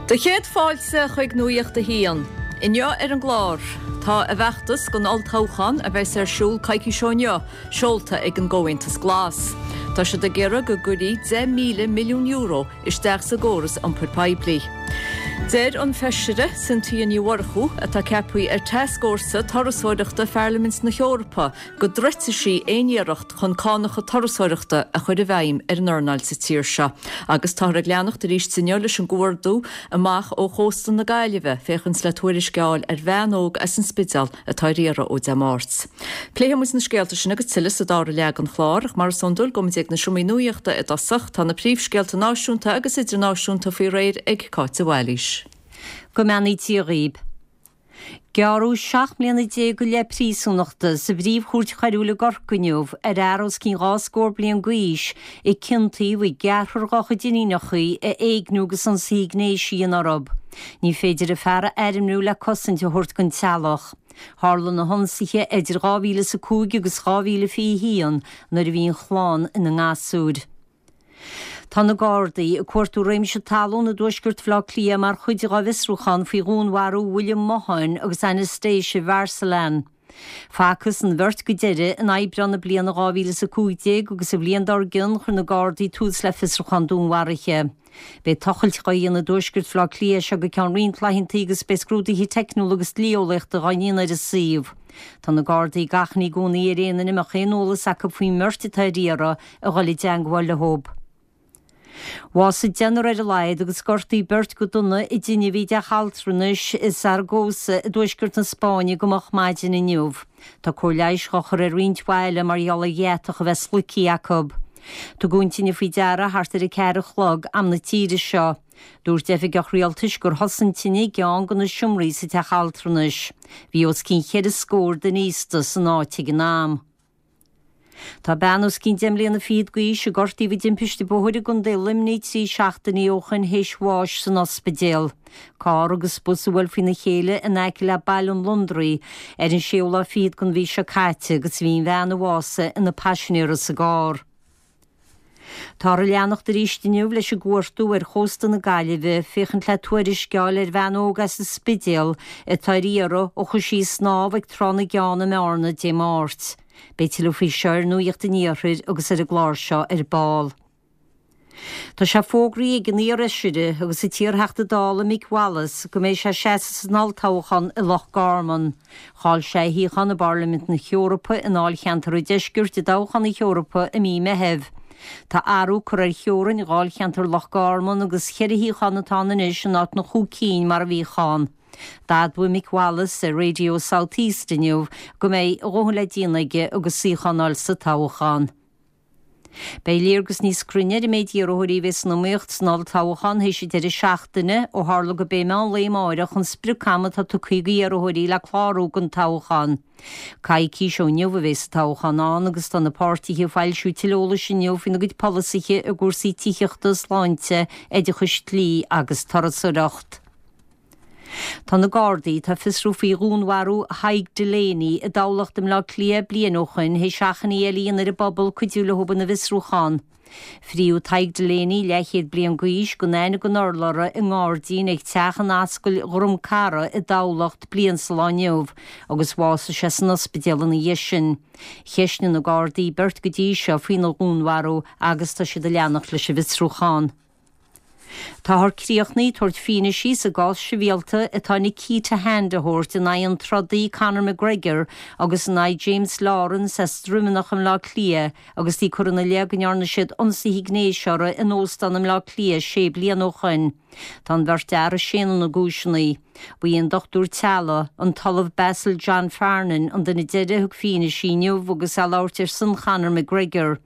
Do chéad fáilte chuig Nuacht a hAon. Inniu ar an gclár, tá a bhfeachtas don olltoghchán a bheas ar siúl coicís ó inniu seolta ag an gComhaontas Glas. Tá siad ag iarraidh go gcuirfí €10,000 milliún isteach sa gcóras iompair poiblí. Deir an Feisire Cynthia Ní Mhurchú, atá ceaptha ar Tascfhórsa Turasóireachta Pharlaimint na hEorpa, go dtroidfidh sí aon iarracht chun cánacha turasóireachta a chur i bhfeidhm ar an earnáil sa tír seo. Agus táthar ag leanacht arís inniu leis an gcuardú amach ó chósta na Gaillimhe féachaint le tuairisc a fháil ar bhean óg as an Spidéal atá ar iarraidh ó Dé Máirt. Pléifidh muid na scéalta sin agus tuilleadh sa dara leath den chlár, ach mar is iondúil, gabhfaidh muid ag na seomraí nuachta i dtosach. Tá na príomhscéalta náisiúnta agus idirnáisiúnta faoi réir ag Cáit de Bhailís. Go mbeannaí Dia dhaoib. Gearradh 17 mbliana go leith príosúnachta sa bPríomh-Chúirt Choiriúil i gCorcaigh inniu ar fhear os cionn dhá scór bliain d'aois a ciontaíodh i gceathrar dá chuid iníonacha a éigniú agus ionsaithe gnéis a dhéanamh orthu. Ní féidir an fear a ainmniú le cosaint a thabhairt don teaghlach. Tharla na hionsaithe idir 2005 agus 2021 nuair a bhí an chlann ina ngasúir. Tá na Gardaí ag cuartú réimse talún i dtuaisceart Bhaile Átha Cliath mar chuid dá bhfiosrúchán faoi dhúnmharú William Mahon agus Anastasia Varsalan. Facthas an bheirt go deireadh in Aibreán na bliana 2015 agus an bhliain dár gcionn chuir na Gardaí tús le fiosrúchán dúnmharaithe. Beidh tochailt dhá dhéanamh i dtuaisceart Bhaile Átha Cliath as seo go ceann roinnt laethanta agus beidh scrúduithe teicniúla agus dlí-eolaíochta dhá ndéanamh ar an suíomh. Tá na Gardaí ag achainí i gcónaí ar aon duine a mbeadh aon eolas acu faoin mbeirt atá ar iarraidh a dhul i dteangmháil leo. Bhásaigh deichniúr ar a laghad agus gortaíodh beirt go dona i dtine a bhí i dteach altranais i Zaragoza i dtuaisceart na Spáinne go moch maidin inniu. Tá cóir leighis dhá chur ar roinnt mhaith eile mar gheall ar dheatach a bheith sloicthe acu. Tugadh an tine faoi deara thart ar 4 a chlog, am na tíre seo. Dúirt oifigeach rialtais gur thosaigh an tine i gceann de na seomraí sa teach altranais. Bhí os cionn cheithre scór duine aosta san áit ag an am. Tá bean os cionn deich mbliana fichead d'aois a gortaíodh i dtimpiste bóthair i gContae Luimnigh 3 seachtainí ó shoin théis bháis san ospidéal. Carr agus bus a bhuail faoina chéile in aice le Baile an Londraigh ar an séú lá fichead den mhí seo caite agus bhí an bhean a bhásaigh ina paisinéara sa gcarr. Táthar ag leanacht arís inniu leis an gcuartú ar chósta na Gaillimhe féachaint le tuairisc a fháil ar bhean óg as an Spidéal atá ar iarraidh ó chuaigh sí ag snámh ag Trá na gCeann i mBearna Dé Máirt. Beidh tuilleadh faoi seo ar Nuacht an Iarthair agus ar an gclár seo ar ball. Tá sé fógraithe ag an iar-fheisire agus an t-iarTheachta Dála Mick Wallace go mbeidh sé ag seasamh san olltoghchán i Loch Garman. Chaill sé a shuíochán i bPairlimint na hEorpa i ndáilcheantar an Deiscirt i dtoghchán na hEorpa i mí Meithimh. Tá athrú curtha ar theorainn dháilcheantar Loch Garman agus cheithre shuíochán atá ann anois in áit na chúig cinn mar a bhíodh ann. D'admhaigh Mick Wallace ar Radio South East inniu go mbeidh a dhóthain le déanamh aige agus suíochán a fháil sa toghchán. Beidh léargas níos cruinne ar an méid iarrthóirí a bheidh san iomaíocht san olltoghchán théis an deireadh seachtaine, ó tharla gurb é meán lae amáireach an sprioc-am atá tugtha d'iarrthóirí le clárú don toghchán. Coicís ó inniu a bheas an toghchán ann agus tá na páirtithe ag foilsiú tuilleadh eolais inniu faoina gcuid polasaithe i gcúrsaí tithíochta, sláinte, oideachais, dlí agus turasóireacht. Tá na Gardaí atá ag fiosrú faoi dhúnmharú Thaidhg Delaney i dTamhlacht i mBleá Cliath bliain ó shoin théis achainí eile a dhéanamh ar an bpobal cuidiú leo ina bhfiosrúchán. Fríodh Tadhg Delaney, leathchéad bliain d'aois, gan aithne gan urlabhra i ngairdín ag teach in Ascaill Dhrom Cara i dTamhlacht bliain sa lá inniu agus bhásaigh sé san ospidéal ina dhiaidh sin. Cheistnigh na Gardaí beirt go dtí seo faoina dhúnmharú agus tá siad ag leanacht leis an bhfiosrúchán. Táthar críochnaithe ag tabhairt fianaise sa gcás sibhialta atá Nikita Hand a thabhairt in aghaidh an trodaí Conor McGregor agus in aghaidh James Lawrence as Droimeanach i mBleá Cliath agus iad ag cur ina leith go ndearna siad ionsaithe gnéis orthu in óstán i mBleá Cliath sé bliana ó shoin. Tá an bheirt fhear ag séanadh na gcúiseanna. Ba é an dochtúir teaghlaigh, an tOllamh Basil John Farnan, an duine deiridh a thug fianaise inniu agus é ag labhairt ar son Chonor McGregor.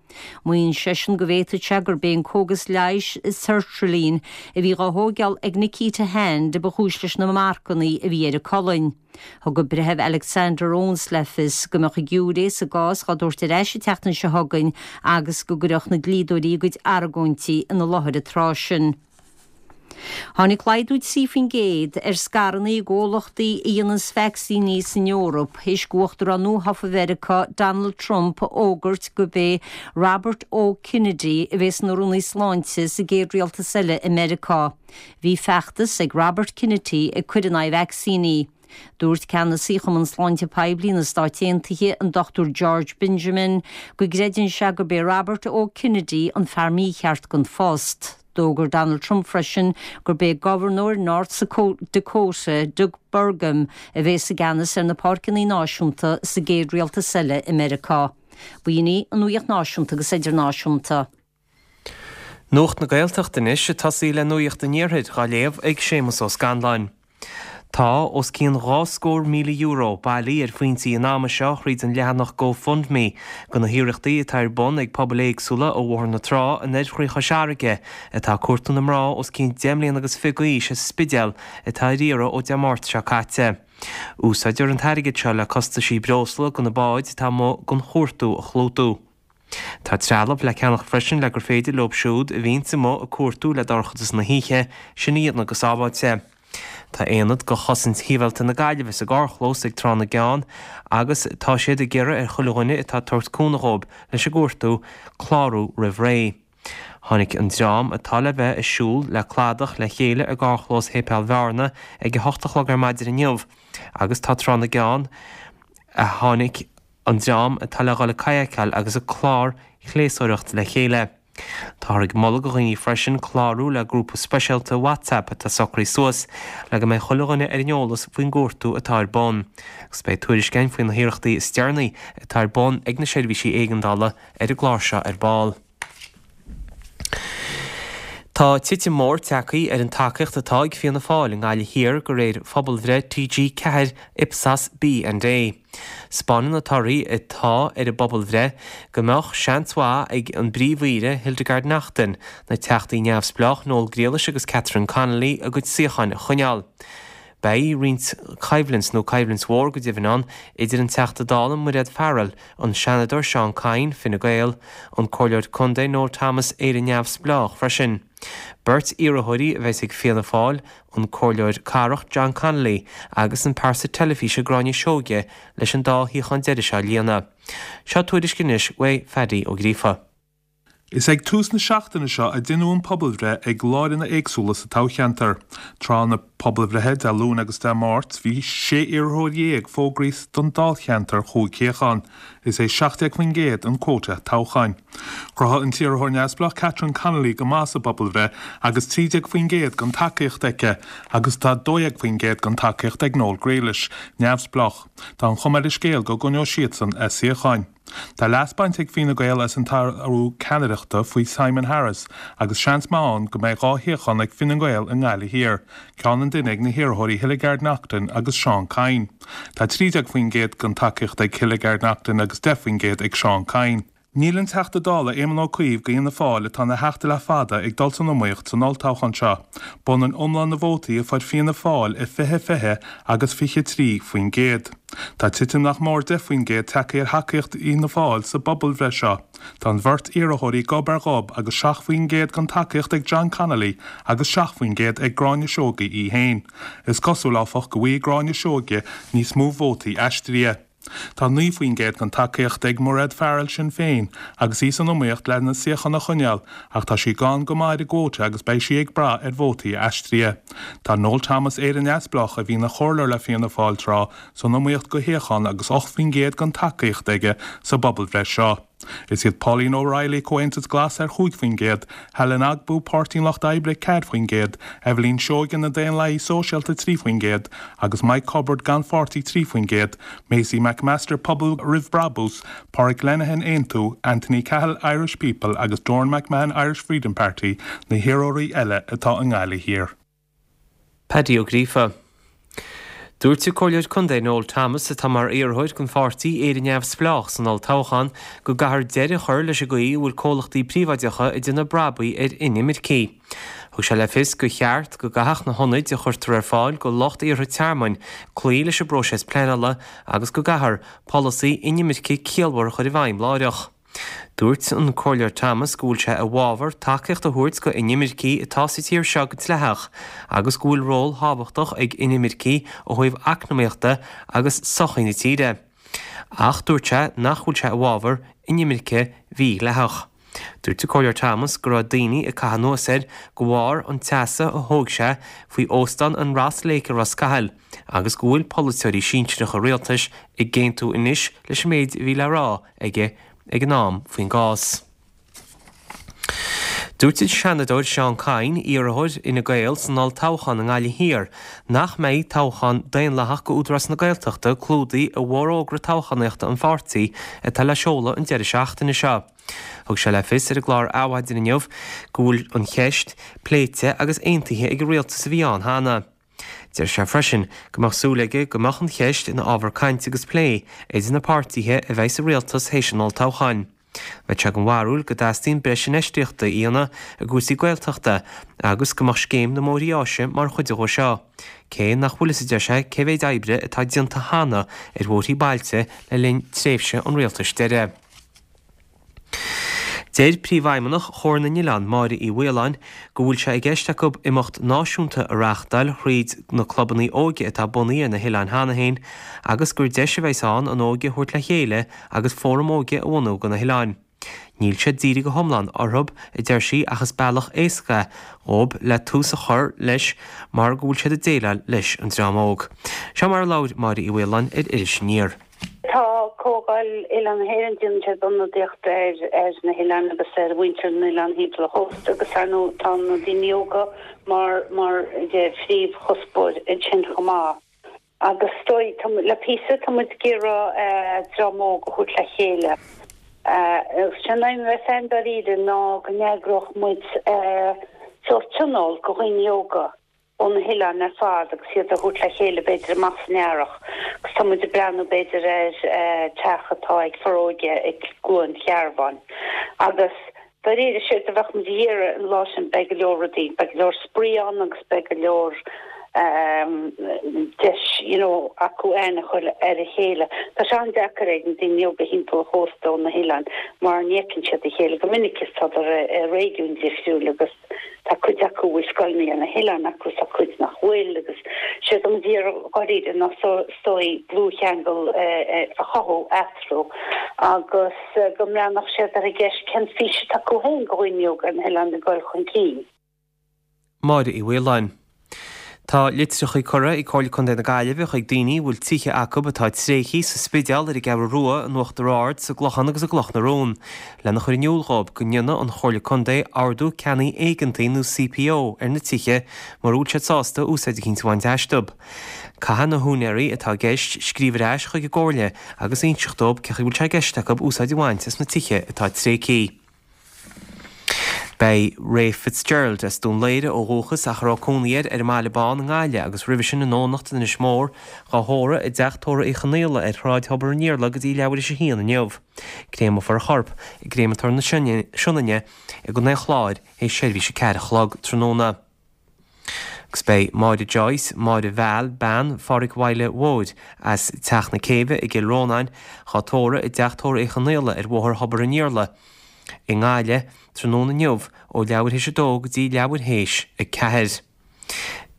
Maíonn seisean go bhféadfadh sé gurb é an cógas leighis Sertraline a bhí dhá thóigeáil ag Nikita Hand a ba chúis leis na marcanna a bhí ar a colainn. Thug an Breitheamh Alexander Owens le fios go mbeadh an giúiré sa gcás dhá dtabhairt ar ais an tseachtain seo chugainn agus go gcuirfeadh na dlíodóirí a gcuid argóintí ina láthair an tráth sin. Tháinig laghdú 3% ar scaireanna i gcomhlachtaí a dhéananns vacsaíní san Eoraip théis d'Uachtarán nuathofa Mheiriceá Donald Trump a fhógairt gurb é Robert O. Kennedy a bheas ina Rúnaí Sláinte sa gcéad rialtas eile i Meiriceá. Bhí feachtas ag Robert Kennedy ag cur in aghaidh vacsaíní. Dúirt ceannasaí Chumann Sláinte Poiblí na Stáit Aontaithe, an Dr George Benjamin, go gcreideann sé gurb é Robert O. Kennedy an fear mícheart don phost. D'fhógair Donald Trump freisin gurb é Gobharnóir North Dakota, Doug Burgum, a bheas i gceannas ar na Páirceanna Náisiúnta sa gcéad rialtas eile i Meiriceá. B'in í an nuacht náisiúnta agus idirnáisiúnta. Nuacht na Gaeltachta anois, ag tosaí le Nuacht an Iarthair dhá léamh ag Séamus Ó Scanláin. Tá os cionn €20,000 bailithe ar phointí an ama seo thríd an leathanach GoFundMe do na hiarrachtaí atá ar bun ag pobail éagsúla ó Bhóthar na Trá anoir thrí Chois Fharraige atá ag cuartú na mná os cionn 10 mbliana agus fiche d'aois as an Spidéal atá ar iarraidh ó Dé Máirt seo caite. Úsáidtear an t-airgead seo le costaisí breosla do na báid atá amuigh don chuartú a chlúdú. Tá trealamh le ceannach freisin le gur féidir leo siúd a bhíonns amuigh ag cuartú le dorchadas na hoíche sin a dhéanamh go sábháilte. Tá aonad de Chosaint Shibhialta na Gaillimhe sa gcarrchlós ag Trá na gCeann agus tá siad ag iarraidh ar chuile dhuine atá ag tabhairt cúnamh dhóibh leis an gcuartú clárú roimh ré. Tháinig an dream atá le bheith ag siúl le cladach le chéile i gcarrchlós Shéipéal Bhearna ag a hocht a chlog ar maidin inniu agus tá Trá na gCeann a tháinig an dream atá le dhul ag kayakáil agus ag clárshléasóireacht le chéile. Táthar ag moladh do dhaoine freisin clárú le grúpa speisialta WhatsApp atá socraithe suas le go mbeidh chuile dhuine ar an eolas faoin gcuartú atá ar bun. Agus beidh tuairisc againn faoi na hiarrachtaí is deireanaí atá ar bun ag na seirbhísí éigeandála ar an gclár seo ar ball. Tá titim mór tagtha ar an tacaíocht atá ag Fianna Fáil i nGaillimh Thiar de réir phobalbhreith TG4 Ipsos B&A. 'Spáineann na torthaí atá ar an bpobalbhreith go mbeadh seans mhaith ag an bPríomh-Aoire Hildegarde Naughton, na Teachtaí neamhspleách Noel Grealish agus Catherine Connolly a gcuid suíocháin a choinneáil. Beidh roinnt coimhlint, nó coimhlint mhór go deimhin, ann idir an Teachta Dála Mairéad Farrell, an Seanadóir Seán Kyne, Fine Gael, an Comhairleoir Contae Noel Thomas, Éire Neamhspleách, freisin. Beirt iarrthóirí a bheas ag Fianna Fáil, an Comhairleoir Cathrach John Connolly agus an pearsa teilifíse Gráinne Seoige leis an dá shuíochán deiridh seo a líonadh. Seo tuairisc anois uaidh Phaddy Ó Gríofa. Is ag tús na seachtaine seo a deineadh an pobalbhreith ag lárionaid éagsúla sa toghcheantar. Tráth na pobalbhreithe, Dé Luain agus Dé Máirt, bhí 16 iarrthóir fógraithe don dáilcheantar chúig shuíochán. Is é 17% an quota toghcháin. Chruthaigh an t-iarrthóir neamhspleách Catherine Connolly go maith sa bpobalbhreith agus 13% den tacaíocht aici agus tá 12% den tacaíocht ag Noel Grealish, neamhspleách. Tá an chuma ar an scéal go gcoinneoidh siadsan a suíocháin. Tá leas bainte ag Fine Gael as an t-athrú ceannaireachta faoi Simon Harris agus seans maith ann go mbeidh 2 shuíochán ag Fine Gael i nGaillimh Thiar, ceann an duine ag na hiarrthóirí Hildegarde Naughton agus Seán Kyne. Tá 13% den tacaíocht ag Hildegarde Naughton agus 10% ag Seán Kyne. Níl an Teachta Dála Éamon Ó Cuív go Fhianna Fáil atá ina theachta le fada ag dul san iomaíocht san olltoghchán seo. B'ionann iomlán na vótaí a fuair Fianna Fáil i 2020 agus 23%. Tá titim nach mór 10% tagtha ar thacaíocht Fhianna Fáil sa bpobalbhreith seo. Tá an bheirt iarrthóirí gob ar ghob agus 7% den tacaíocht ag John Connolly agus 7% ag Gráinne Seoige í féin. Is cosúil, áfach, go bhfaighidh Gráinne Seoige níos mó vótaí aistrithe. Tá 9% den tacaíocht ag Mairéad Farrell, Sinn Féin, agus í san iomaíocht lena suíochán a choinneáil ach tá sí gann go maith ar an gcuóta agus beidh sí ag brath ar vótaí aistrithe. Tá Noel Thomas, Éire Neamhspleách, a bhí ina chomhairleoir le Fianna Fáil tráth, san iomaíocht go shuíochán agus 8% den tacaíocht aige sa bpobalbhreith seo. Is iad Pauline O'Reilly, Comhaontas Glas, ar 5%, Helen Ogbu, Páirtí an Lucht Oibre, 4%, Eibhlín Seoige, Na Daonlathaithe Sóisialta, 3%, agus Mike Hubbard, gan pháirtí, 3%, Maisie McMaster, Pobal Roimh Brabús, Pádraig Lenihan, Aontú, Anthony Cahill, Irish People, agus Doran McMahon, Irish Freedom Party, na hiarrthóirí eile atá i nGaillimh Thiar. Paddy Ó Gríofa. Dúirt an Comhairleoir Contae Noel Thomas, atá mar iarrthóir don pháirtí Éire Neamhspleách san olltoghchán, go gcaithfear deireadh a chur leis an gcaoi a bhfuil comhlachtaí príobháideacha ag déanamh brabaigh ar inimircigh. Thug sé le fios gur cheart go gcaithfeadh na hionaid a chuirtear ar fáil do lucht iarrtha tearmainn cloí leis an bpróiseas pleanála agus go gcaithfear polasaí inimirce ciallmhar a chur i bhfeidhm láithreach. Dúirt an Comhairleoir Thomas go bhfuil sé i bhfabhar tacaíocht a thabhairt go inimircigh atá sa tír seo go dleathach agus go bhfuil ról thábhachtach ag inimircigh ó thaobh eacnamaíochta agus sochaí na tíre. Ach dúirt sé nach bhfuil sé i bhfabhar inimirce mhídhleathach. Dúirt an Comhairleoir Thomas go raibh daoine ag caitheamh anuas air de bharr an tseasamh a thóg sé faoi óstán an Ross Lake i Ros Cathail agus go bhfuil polaiteoirí sinsearacha rialtais ag aontú anois leis an méid a bhí le rá aige ag an am faoin gcás. Dúirt an Seanadóir Seán Kyne, iarrthóir Fhine Gael san olltoghchán i nGaillimh Thiar, nach mbeidh toghchán daonlathach go Údarás na Gaeltachta clúdaithe i bhforógra toghchánaíochta an pháirtí atá le seoladh an deireadh seachtaine seo. Thug sé le fios ar an gclár Adhmhaidin inniu go bhfuil an cheist pléite agus aontaithe ag an rialtas a bhí ann cheana. Deir sé freisin go mbeadh súil aige go mbeadh an cheist ina ábhar cainte agus plé idir na páirtithe a bheidh sa rialtas théis an olltoghcháin. Bheadh sé den bharúil go dteastaíonn breis infheistíochta a dhéanamh i gcúrsaí Gaeltachta agus go mbeadh scéim na mbóithrí áise mar chuid dhó seo, cé nach bhfuil fhios a deir sé cé mhéid oibre atá déanta cheana ar bhóithrí bailte le linn tréimhse an rialtais deiridh. Deir Príomhfheidhmeannach Chomhar na nOileán, Máire Uí Mhaoláin, go bhfuil sé i gceist acu imeacht náisiúnta a reáchtáil thríd na clubanna óige atá bunaithe ar na hoileáin cheana féin agus gur deis a bheas ann an óige a thabhairt le chéile agus fóram óige a bhunú do na hoileáin. Níl sé dírithe go hiomlán orthu, a deir sí, ach is bealach éasca é dhóibh le tús a chur leis mar go bhfuil siad ag déileáil leis an dream óg. Seo mar a labhair Máire Uí Mhaoláin ar Iris Aniar. Tá Comhdháil Oileáin na hÉireann, déanann siad ionadaíocht ar ar na hoileáin agus ar mhuintir na n-oileán thimpeall an chósta agus ar ndóigh tá na daoine óga mar mar phríomhchuspóir ansin chomh maith. Agus is dóigh tá le píosa tá muid ag iarraidh dream óg a thabhairt le chéile. Agus sé an aidhm a bheas againn dáiríre ná go n-eagródh muid sórt tionól do dhaoine óga. ó na hoileáin ar fad agus iad a thabhairt le chéile b'fhéidir amach san earrach agus tá muid ag breathnú b'fhéidir ar teach atá ag Foróige i gCluain Chearbháin agus dáiríre séard a bheadh muid a iarraidh an lá sin beidh go leor rudaí, beidh go leor spraoi ann agus beidh go leor deis you know acu aithne a chur ar a chéile. Tá sé an-deacair ag na daoine óga thimpeall an chósta ó na hoileáin mar ní fheiceann siad a chéile go minic is tádar i réigiúin difriúil agus Tá cuid acu a bhfuil scoileanna ar na hoileáin acu is tá cuid nach bhfuil agus séard tá muid a iarraidh dháiríre ná is dóigh dlúthcheangal a chothú eatarthu agus go mbreathnódh siad ar an gceist cén fís atá acu féin do dhaoine óga ar na hoileáin ag dul chun cinn. Máire Uí Mhaoláin. Tá litreacha curtha ag Comhairle Contae na Gaillimhe chuig daoine a bhfuil tithe acu atá tréigthe sa Spidéal, ar an gCeathrú Rua, in Uachtar Ard, sa gClochán agus i gCloch na Rón, lena chur in iúl dhóibh go ndéanfaidh an Chomhairle Contae Ordú Ceannaigh Éigeantaigh nó CPO ar na tithe mura bhfuil siad sásta úsáid eicínt a bhaint astu. Caithfidh na húinéirí atá i gceist scríobh ar ais chuig an gComhairle agus inseacht dóibh cén chaoi a bhfuil sé i gceist acu úsáid a bhaint as na tithe atá tréigthe. Beidh Ray Fitzgerald, as Dún Laoghaire ó dhúchas ach a raibh cónaí air ar an mBaile Bán i nGaillimh agus roimhe sin i nDomhnach in Inis Mór, dhá thórramh i dTeach Tórraimh Uí Chonaola ar Shráid Thobar an Iarla go dtí leathuair théis a haon inniu. Créamfar a chorp i gCréamatóir na Sionainne i gContae an Chláir théis seirbhís a 4 a chlog tráthnóna. Agus beidh Máire Joyce, Máire Val, bean Phádhraic Mhaidhle Mhóir, as Teach na Céibhe i gCill Rónáin, dhá tórramh i dTeach Tórraimh Uí Chonaola ar Bhóthar Thobar an Iarla i nGaillimh tráthnóna inniu ó leathuair théis a dó go dtí leathuair théis a ceathair.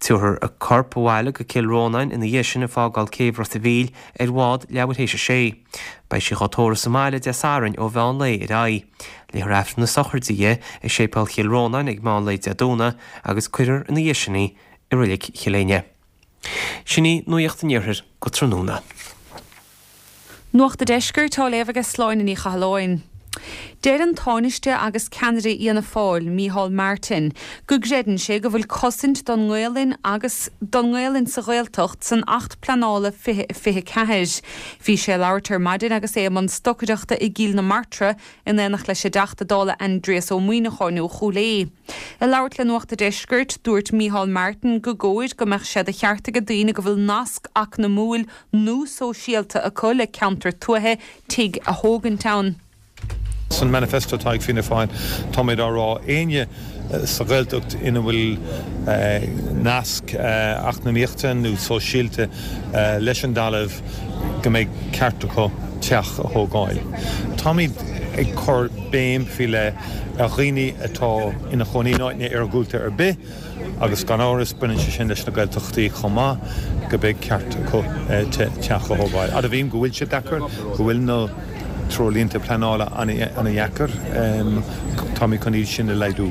Tabharfar a corp abhaile go Cill Rónáin ina dhiaidh sin ag fágáil céibh Ros a' Mhíl ar bhád leathuair théis a sé. Beidh sí dhá tórramh sa mbaile Dé Sathairn ó mheán lae ar aghaidh. Léifear Aifreann na sochraide di i Séipéal Chill Rónáin ag meán lae Dé Domhnaigh agus cuirfear ina dhiaidh sin í i Reilig Chill Éinne. Sin í Nuacht an Iarthair go tráthnóna. Nuacht a' Deiscirt á léamh aige Sláine Ní Chathalláin. Deir an Tánaiste agus ceannaire Fhianna Fáil, Micheál Martin, go gcreideann sé go bhfuil cosaint don nGaolainn agus don nGaolainn sa Ghaeltacht san Acht Pleanála 2024. Bhí sé ag labhairt ar maidin agus é i mbun stocaireachta i gCill na Martra in éineacht leis an dTeachta Dála Aindrias Ó Muimhneacháin ó Chúil Aodha. Ag labhairt le Nuacht a' Deiscirt, dúirt Micheál Martin go gcóir go mbeadh sé de cheart ag daoine go bhfuil nasc eacnamúil nó sóisialta acu le ceantar tuaithe tigh a thógaint ann. San manifesto atá ag Fianna Fáil, táimid á rá, éinne sa Ghaeltacht ina bhfuil nasc eacnamaíochta nó sóisialta leis an dtalamh, go mbeidh ceart acu teach a thógáil. Táimid. ag cur béim faoi leith ar dhaoine atá ina chónaí in áiteanna iargúlta ar bith agus gan amhras baineann sé sin leis na Gaeltachtaí chomh maith, go mbeidh ceart acu teach a thógáil. Admhaím go bhfuil sé deacair, go bhfuil na treoirlínte pleanála ana-dheacair, táimid chun iad sin a laghdú.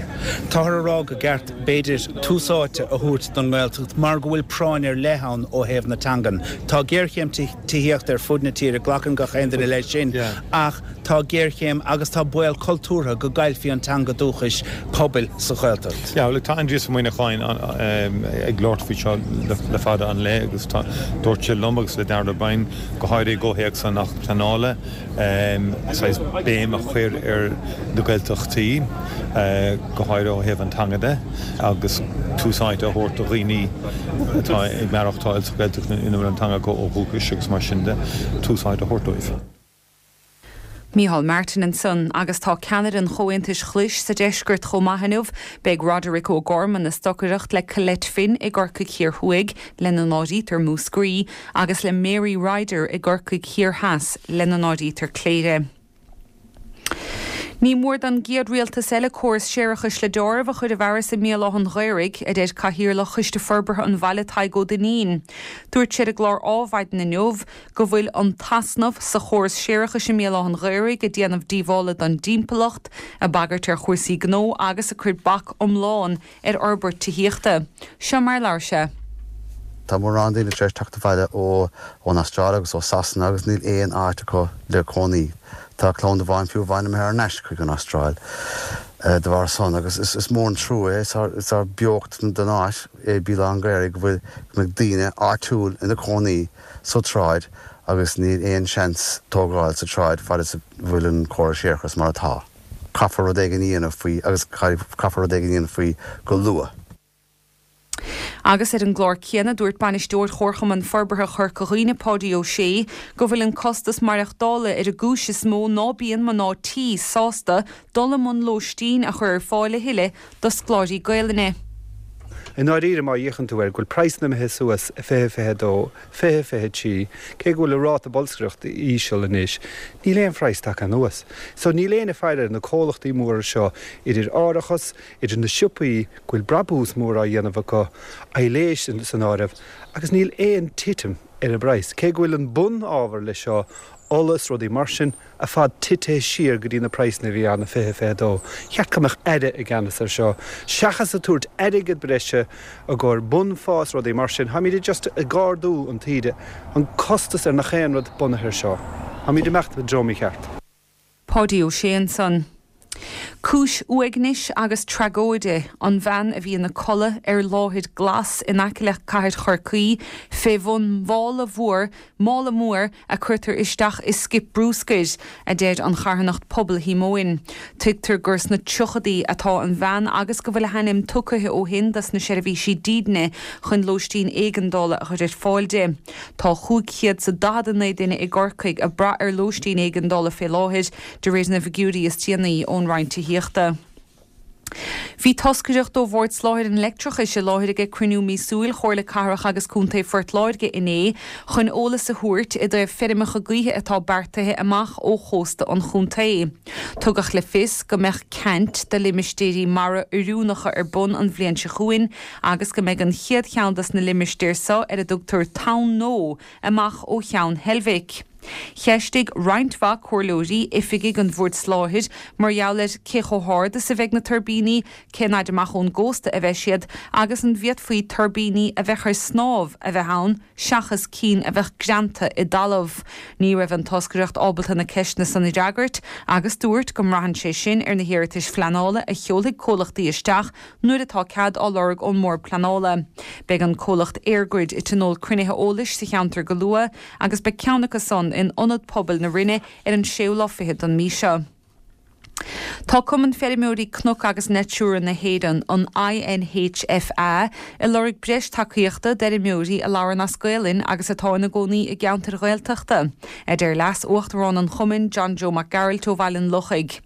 Táthar ag rá go gceart, b'fhéidir, tús áite a thabhairt don nGaeltacht mar go bhfuil práinn ar leith ann ó thaobh na teangan. Tá géarchéim tithíochta ar fud na tíre, glacann gach aon duine leis sin, ach tá géarchéim agus tá baol cultúrtha go gcaillfí an teanga dúchais pobail sa Ghaeltacht. Yeah, look, tá Aindrias Ó Muimhneacháin ag labhairt faoi seo le fada an lá agus tá, dúirt sé liom agus le Darragh O'Brien, go háirithe i gcomhthéacs an Acht Pleanála, saghas béim a chur ar na Gaeltachtaí, go háirithe ó thaobh an teanga de, agus tús áite a thabhairt do dhaoine atá ag maireachtáil sa Ghaeltacht ina bhfuil an teanga acu ó dhúchas agus mar sin de, tús áite a thabhairt dóibh. Micheál Martin ansan agus tá ceannaire an Chomhaontais Ghlais sa deisceart chomh maith inniu. Beidh Roderic O'Gorman ag stocaireacht le Colette Finn i gCorcaigh Thiar Thuaidh, lena n-áirítear Múscraí, agus le Mary Ryder i gCorcaigh Thiar Theas, lena n-áirítear Cléire. Ní mór don gcéad rialtas eile córas séarachais le deáramh a chur i bhfearas i mBéal Átha'n Ghaorthaidh, a deir Cathaoirleach Choiste Forbartha an bhaile Tadhg Ó Duinnín. Dúirt sé ar an gclár Ádhmhaidin inniu go bhfuil an t-easnamh sa chóras séarachais i mBéal Átha'n Ghaorthaidh ag déanamh díobhála don dtimpeallacht, ag bagairt ar chúrsaí gnó agus ag cur bac iomlán ar fhorbairt tithíochta. Seo mar a labhair sé. Tá mórán daoine tar éis teacht abhaile ó ón Astráil agus ó Sasana agus níl aon áit acu le cónaí. Tá clann amháin fiú amháin imithe thar n-ais chuig an Astráil de bharr san agus is mór an trua é. Is ár beocht don áit é Béal Átha an Ghaorthaidh go bhfuil go mbeidh daoine áitiúil ina cónaí sa tsráid agus níl aon seans tógáil sa tsráid fad is a bhfuil an córas séarachais mar atá. Caithfear rud éigin a dhéanamh faoi agus caithfear rud éigin a dhéanamh faoi go luath. Agus ar an gclár céanna, dúirt Bainisteoir Chomharchumann Forbartha Chorca Dhuibhne, Páidí Ó Sé, go bhfuil an costas maireachtála ar an gcúis is mó ná bíonn mná tí sásta dul i mbun lóistín a chur ar fáil a thuilleadh do scoláirí Gaelainne. I ndáiríre, má fhéachann tú air, go bhfuil praghsanna imithe suas i 2022, 2023, cé go bhfuil an ráta bolscaireachta íseal anois, níl aon phraghas tagtha anuas. So níl éinne ag faire ar na comhlachtaí móra seo, idir árachas, idir na siopaí, go bhfuil brabús mór á dhéanamh acu, aibhléis san áireamh, agus níl aon titim ar an bpraghas. Cé go bhfuil an bun-ábhar leis seo, ola is rudaí mar sin, ar fad titithe siar go dtí na praghsanna a bhí ann i 2022. Cheart go mbeadh Aire i gceannas ar seo. Seachas ag tabhairt airgead breise i gcomhair bunphá is rudaí mar sin, táimid just ag ardú an taoide, an costas ar nach aon rud bunaithe ar seo. Táimid ag imeacht i dtreo mícheart. Páidí Ó Sé ansan. Cúis uaignis agus tragóide an bhean a bhí ina codladh ar láthair glas in aice le cathair Chorcaí fé bhun mhála mhór, mála mór a cuirtear isteach i scip brúscair, a deir an charthanacht Pobal Shíomóin. Tuigtear gur sna tríochadaí atá an bhean agus go bhfuil a hainm tugtha ó shin dos na seirbhísí dídine chun lóistín éigeandála a chur ar fáil di. Tá 549 duine i gCorcaigh ag brath ar lóistín éigeandála fé láthair, de réir na bhfigiúirí is déanaí ón Roinn Tithíochta. Bhí toscaireacht ó Bhord Soláthair an Leictreachais i láthair ag cruinniú míosúil Chomhairle Cathrach agus Contae Phort Láirge inné chun eolas a thabhairt i dtaobh feirmeacha gaoithe atá beartaithe amach ó chósta an chontae. Tugadh le fios go mbeadh ceant do limistéirí mara oiriúnacha ar bun an bhliain seo chugainn agus go mbeidh an chéad cheann dos na limistéir seo ar a dtugtar Tonn Nó amach ó Cheann Heilbhic. Cheistigh roinnt mhaith comhairleoirí oifigigh an Bhoird Soláthair mar gheall ar cé chomh hard is a bheidh na tuirbíní, cén fhaid amach ón gcósta a bheidh siad agus an bhféadfaí tuirbíní a bheadh ar snámh a bheith ann seachas cinn a bheadh greanta i dtalamh. Ní raibh an toscaireacht ábalta na ceisteanna san a fhreagairt agus dúirt go mbraitheann sé sin ar na hiarratais phleanála a sheolfaidh comhlachtaí isteach nuair atá cead á lorg ón mBord Pleanála. Beidh an comhlacht EirGrid ag tionól cruinnithe eolais sa cheantar go luath agus beidh ceann acu san in Ionad Pobail na Rinne ar an séú lá fichead den mí seo. Tá Cumann Feirmeoirí Cnoc agus Natura na hÉireann, an INHFA, ag lorg breis tacaíochta d'fheirmeoirí a labhrann as Gaolainn agus atá ina gcónaí i gceantair Ghaeltachta, a deir Leas-Uachtarán an chumainn, John Joe Mac Gearailt ó Bhaile an Lochaigh.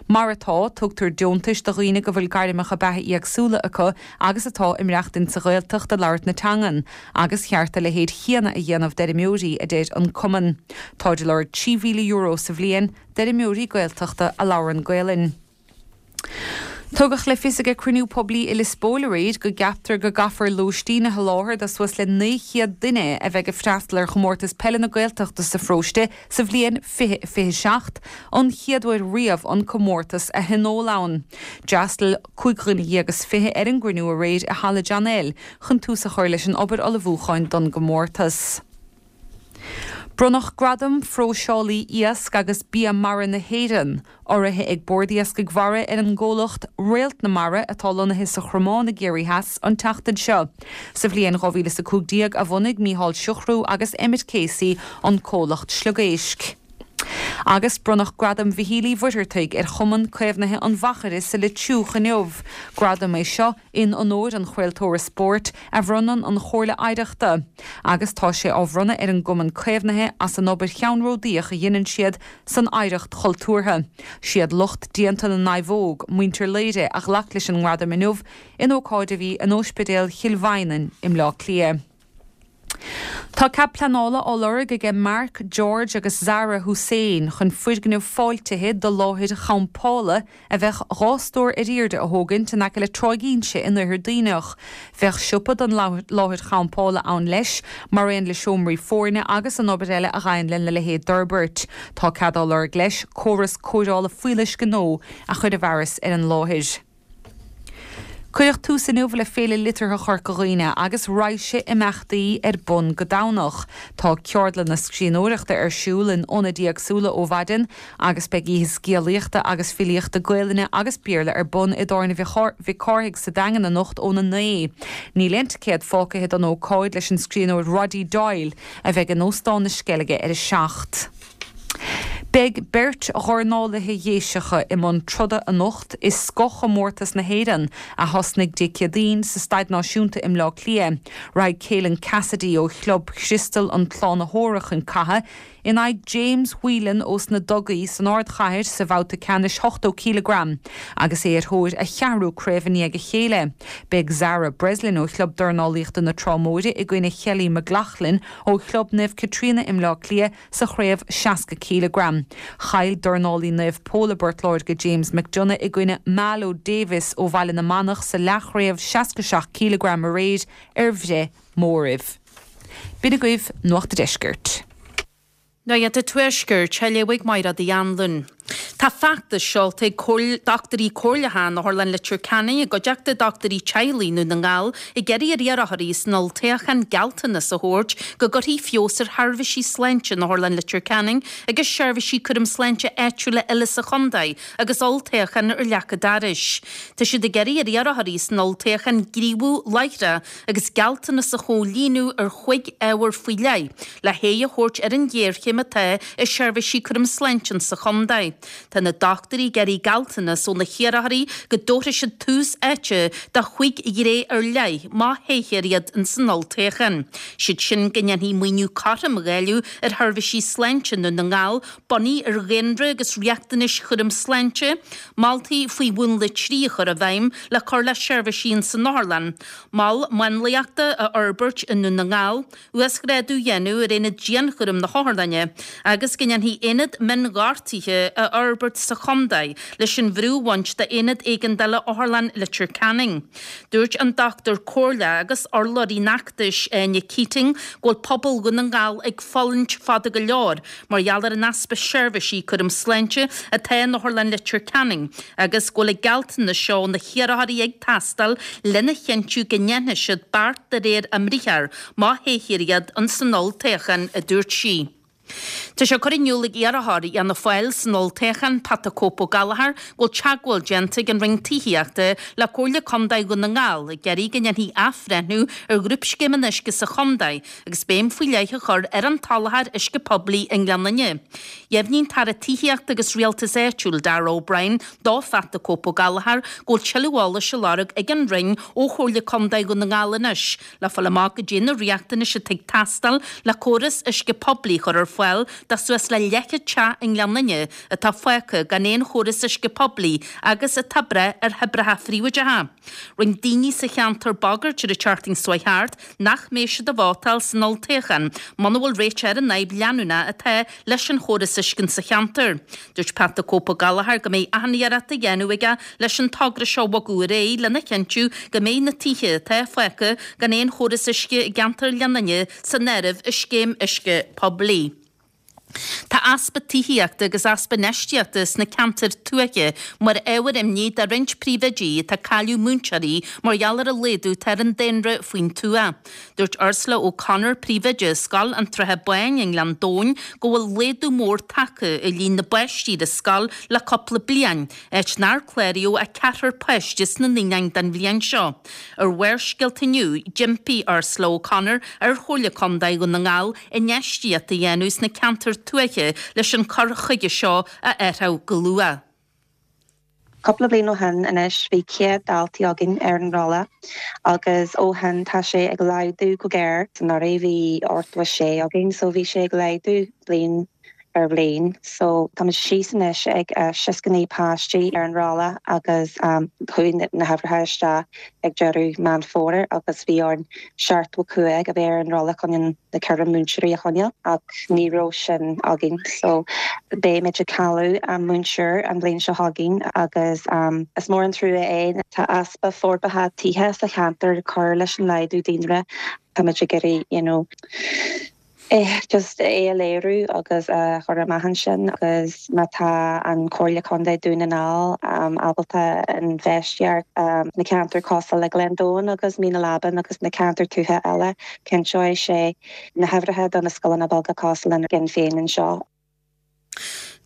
Mar atá, tugtar deontais do dhaoine go bhfuil gairmeacha beatha éagsúla acu agus atá ag maireachtaint sa Ghaeltacht ag labhairt na teangan, agus cheart a leithéid chéanna a dhéanamh d'fheirmeoirí, a deir an cumann. Táid ag lorg €3,000 sa bhliain d'fheirmeoirí Gaeltachta a labhrann Gaelainn. Tugadh le fios ag cruinniú poiblí i Lios Póil aréir go gceaptar go gcaithfear lóistín a sholáthar do suas le 900 duine a bheidh ag freastal ar Chomórtas Peile na Gaeltachta sa pharóiste sa bhliain 2027, an chéad uair riamh an comórtas a thionól ann. D'fhreastail 25 dhuine ar an gcruinniú aréir i Halla John L chun tús a chur leis an obair ullmhúcháin don gcomórtas. Bronnadh Gradam Phróiseálaí Iasc agus Bia Mara na hÉireann, urraithe ag Bord Iascaigh Mhara ar an gcomhlacht Réalt na Mara atá lonnaithe sa Chromán i gCiarraí Theas an tseachtain seo. Sa bhliain 2015 a bhunaigh Mícheál Siochrú agus Emmet Casey an comhlacht sliogéisc. Agus bronnadh Gradam Mhichíl Uí Mhuircheartaigh ar Chumann Caomhnaithe an Mhachaire sa Leitriúch inniu. Gradam é seo in onóir an chraoltóra spóirt a bhronnann an Chomhairle Oidhreachta, agus tá sé á bhronnadh ar an gCumann Caomhnaithe as an obair cheannródaíoch a dheineann siad san oidhreacht chultúrtha. Siad lucht déanta na naomhóg, muintir Laoire, a ghlac leis an ngradam inniu in ócáid a bhí in Óispidéal Chill Mhaighneann i mBleá Cliath. Tá cead pleanála á lorg aige Mark, George agus Zara Hussain chun foirgneamh fáiltithe do láthair champála a bheadh 2 stór ar airde a thógaint in aice le Tráigh Inse in Oirthear Duibhneach. Bheadh siopa don láthair champála ann leis, mar aon le seomraí foirne agus an obair eile a ghabhann lena leithéid d'fhorbairt. Tá cead á lorg leis córas cóireála fuíolluisce nua a chur i bhfearas ar an láthair. Cuireadh tús inniu le Féile Liteartha Chorca Dhuibhne agus raidhse imeachtaí ar bun go Domhnach. Tá ceardlanna scríbhneoireachta ar siúl in ionaid éagsúla ó mhaidin agus beidh oíche scéalaíochta agus filíochta Gaelainne agus Béarla ar bun i dTábhairne Mhic Cárthaigh sa Daingean anocht óna 9. Níl aon ticéad fágtha don ócáid leis an scríbhneoir Roddy Doyle a bheidh in Óstán na Sceilge ar a 7. Beidh beirt dhornálaithe Dhéiseacha i mbun troda anocht i scothchomórtas na hÉireann a thosnaigh Dé Céadaoin sa Staid Náisiúnta i mBleá Cliath. Raghaidh Keelan Cassidy ó Chlub Chriostal an tSlánaitheora chun catha in aghaidh James Whelan ós na Dugaí san ardchathair sa bhabhta ceannais 80 cileagram agus é ar thóir a cheathrú craobh i ndiaidh a chéile. Beidh Zara Breslin ó Chlub Dornálaíochta na Trá Móire i gcoinne Kelly McLaughlin ó Chlub Naomh Caitríona i mBleá Cliath sa chraobh 60 cileagram. Chaill dornálaí Naomh Pól i bPort Láirge James McDonagh i gcoinne Malo Davis ó Bhaile na Manach sa leathchraobh 67 cileagram aréir ar bhreith móraimh. B'in agaibh Nuacht a' Deiscirt. Nuacht an Tuaiscirt, á léamh ag Mairéad Uí Anluain. Tá feachtas seolta ag dochtúirí comhairleacha in Otharlann Leitir Ceanainn i gcuideachta dochtúirí teaghlaigh i nDún na nGall ag iarraidh ar iarrthóirí san olltoghchán gealltanas a thabhairt go gcuirfí feabhas ar sheirbhísí sláinte in Otharlann Leitir Ceanainn agus seirbhísí cúram sláinte áitiúla eile sa chontae agus olltoghchán ar leac an dorais. Tá siad ag iarraidh ar iarrthóirí san olltoghchán gníomhú láithreach agus gealltanas a chomhlíonadh ar chúig ábhar faoi leith le haghaidh a thabhairt ar an ghéarchéim atá i seirbhísí cúram sláinte sa chontae. Tá na dochtúirí ag iarraidh gealltanas ó na hiarrthóirí go dtabharfaidh siad tús áite do chúig ghné ar leith má thoghtar iad ins an olltoghchán. Siad sin go ndéanfaí maoiniú cothrom a dháileadh ar sheirbhísí sláinte i nDún na nGall bunaithe ar dhaonra agus riachtanais chúram sláinte, moltaí faoi Mhúnla 3 a chur i bhfeidhm le cur le seirbhísí ins an otharlann, mol máinliachta a fhorbairt i nDún na nGall, uasghrádú a dhéanamh ar aonad dianchúraim na hotharlainne agus go ndéanfaí aonad mionghortuithe a fhorbairt sa chontae leis an bhrú a bhaint d'aonad éigeandála Otharlann Leitir Ceanainn. Dúirt an dochtúir comhairleach agus urlabhraí an fheachtais, Áine Keating, go bhfuil pobal Dhún na nGall ag fulaingt fada go leor mar gheall ar an easpa seirbhísí cúram sláinte atá in Otharlann Leitir Ceanainn agus go bhfuil an gealltanas seo ó na hiarrthóirí ag teastáil lena chinntiú go ndéanfaidh siad beart de réir a mbriathar má thoghtar iad ins an olltoghchán, a dúirt sí. Tá sé curtha in iúl ag iarrthóir Fhianna Fáil san olltoghchán, Pat 'The Cope Ó Gallchóir, go bhfuil teagmháil déanta ag an Roinn Tithíochta le Comhairle Contae Dhún na nGall ag iarraidh go ndéanfaí athbhreithniú ar Ghrúpscéim an Uisce sa chontae agus béim faoi leith a chur ar an tsoláthar uisce poiblí i nGleann Fhinne. Dheimhnigh an tAire Tithíochta agus Rialtais Áitiúil, Darragh O'Brien, do Phat 'The Cope Ó Gallchóir go bhfuil tuilleadh eolais á lorg ag an Roinn ó Chomhairle Contae Dhún na nGall anois le fáil amach goidé na riachtanais atá ag teastáil le córas uisce poiblí a chur ar fáil. fáil do suas le leathchéad teach i nGleann Fhinne atá fágtha gan aon chóras uisce poiblí agus atá ag brath ar thoibreacha phríobháideacha. Rinne daoine sa cheantar bagairt ar an tseachtain seo chuaigh thart nach mbeidh siad ag vótáil san olltoghchán muna bhfuil réiteach ar an fhadhb leanúnach atá leis an chóras uisce sa cheantar. Dúirt Pat 'The Cope' Ó Gallchóir go mbeidh achan iarracht á dhéanamh aige leis an togra seo a bhogadh ar aghaidh lena chinntiú go mbeidh na tithe atá fágtha gan aon chóras uisce i gceantar Ghleann Fhinne san áireamh i scéim uisce poiblí. Tá easpa tithíochta agus easpa infheistíochta sna ceantair tuaithe mar ábhar imní do roinnt príomhoidí atá ag cailleadh múinteoirí mar gheall ar an laghdú atá ar an daonra faoin tuath. Dúirt Ursula O'Connor, príomhoide Scoil an tSratha Báin i nGleann Domhain, go bhfuil laghdú mór tagtha i líon na bpáistí ar an scoil le cúpla bliain, áit nár cláraíodh ach ceathrar páiste sna naíonáin don bhliain seo. Ar Bharrscéalta inniu, d'impigh Ursula O'Connor ar Chomhairle Contae Dhún na nGall infheistíocht a dhéanamh sna ceantair tuaithe leis an cur chuige seo a athrú go luath. Cúpla bliain ó shin anois bhí 100 daltaí againn ar an rolla agus ó shin tá sé ag laghdú go géar. Anuraidh bhí 86 againn so bhí sé ag laghdú bliain ar bhliain. So táimid síos anois ag 69 páistí ar an rolla agus chuaigh na huimhreacha isteach ag deireadh Meán Fómhair agus bhí orainn 75 a bheith ar an rolla chun na 14 múinteoirí a choinneáil ach ní raibh sin againn. So beimid ag cailleadh múinteoir an bhliain seo chugainn agus is mór an trua é. Tá easpa forbartha tithe sa cheantar ag cur leis an laghdú daonra. Táimid ag iarraidh you know, just é a léiriú agus a chur amach ansin agus má tá an Comhairle Contae Dún na nGall ábalta infheistíocht sna ceantair cosúil le Gleann Domhain agus Mín na Leaban agus na ceantair tuaithe eile, cinnteoidh sé na huimhreacha do na scoileanna beaga cosúil lenár gcinn féin anseo.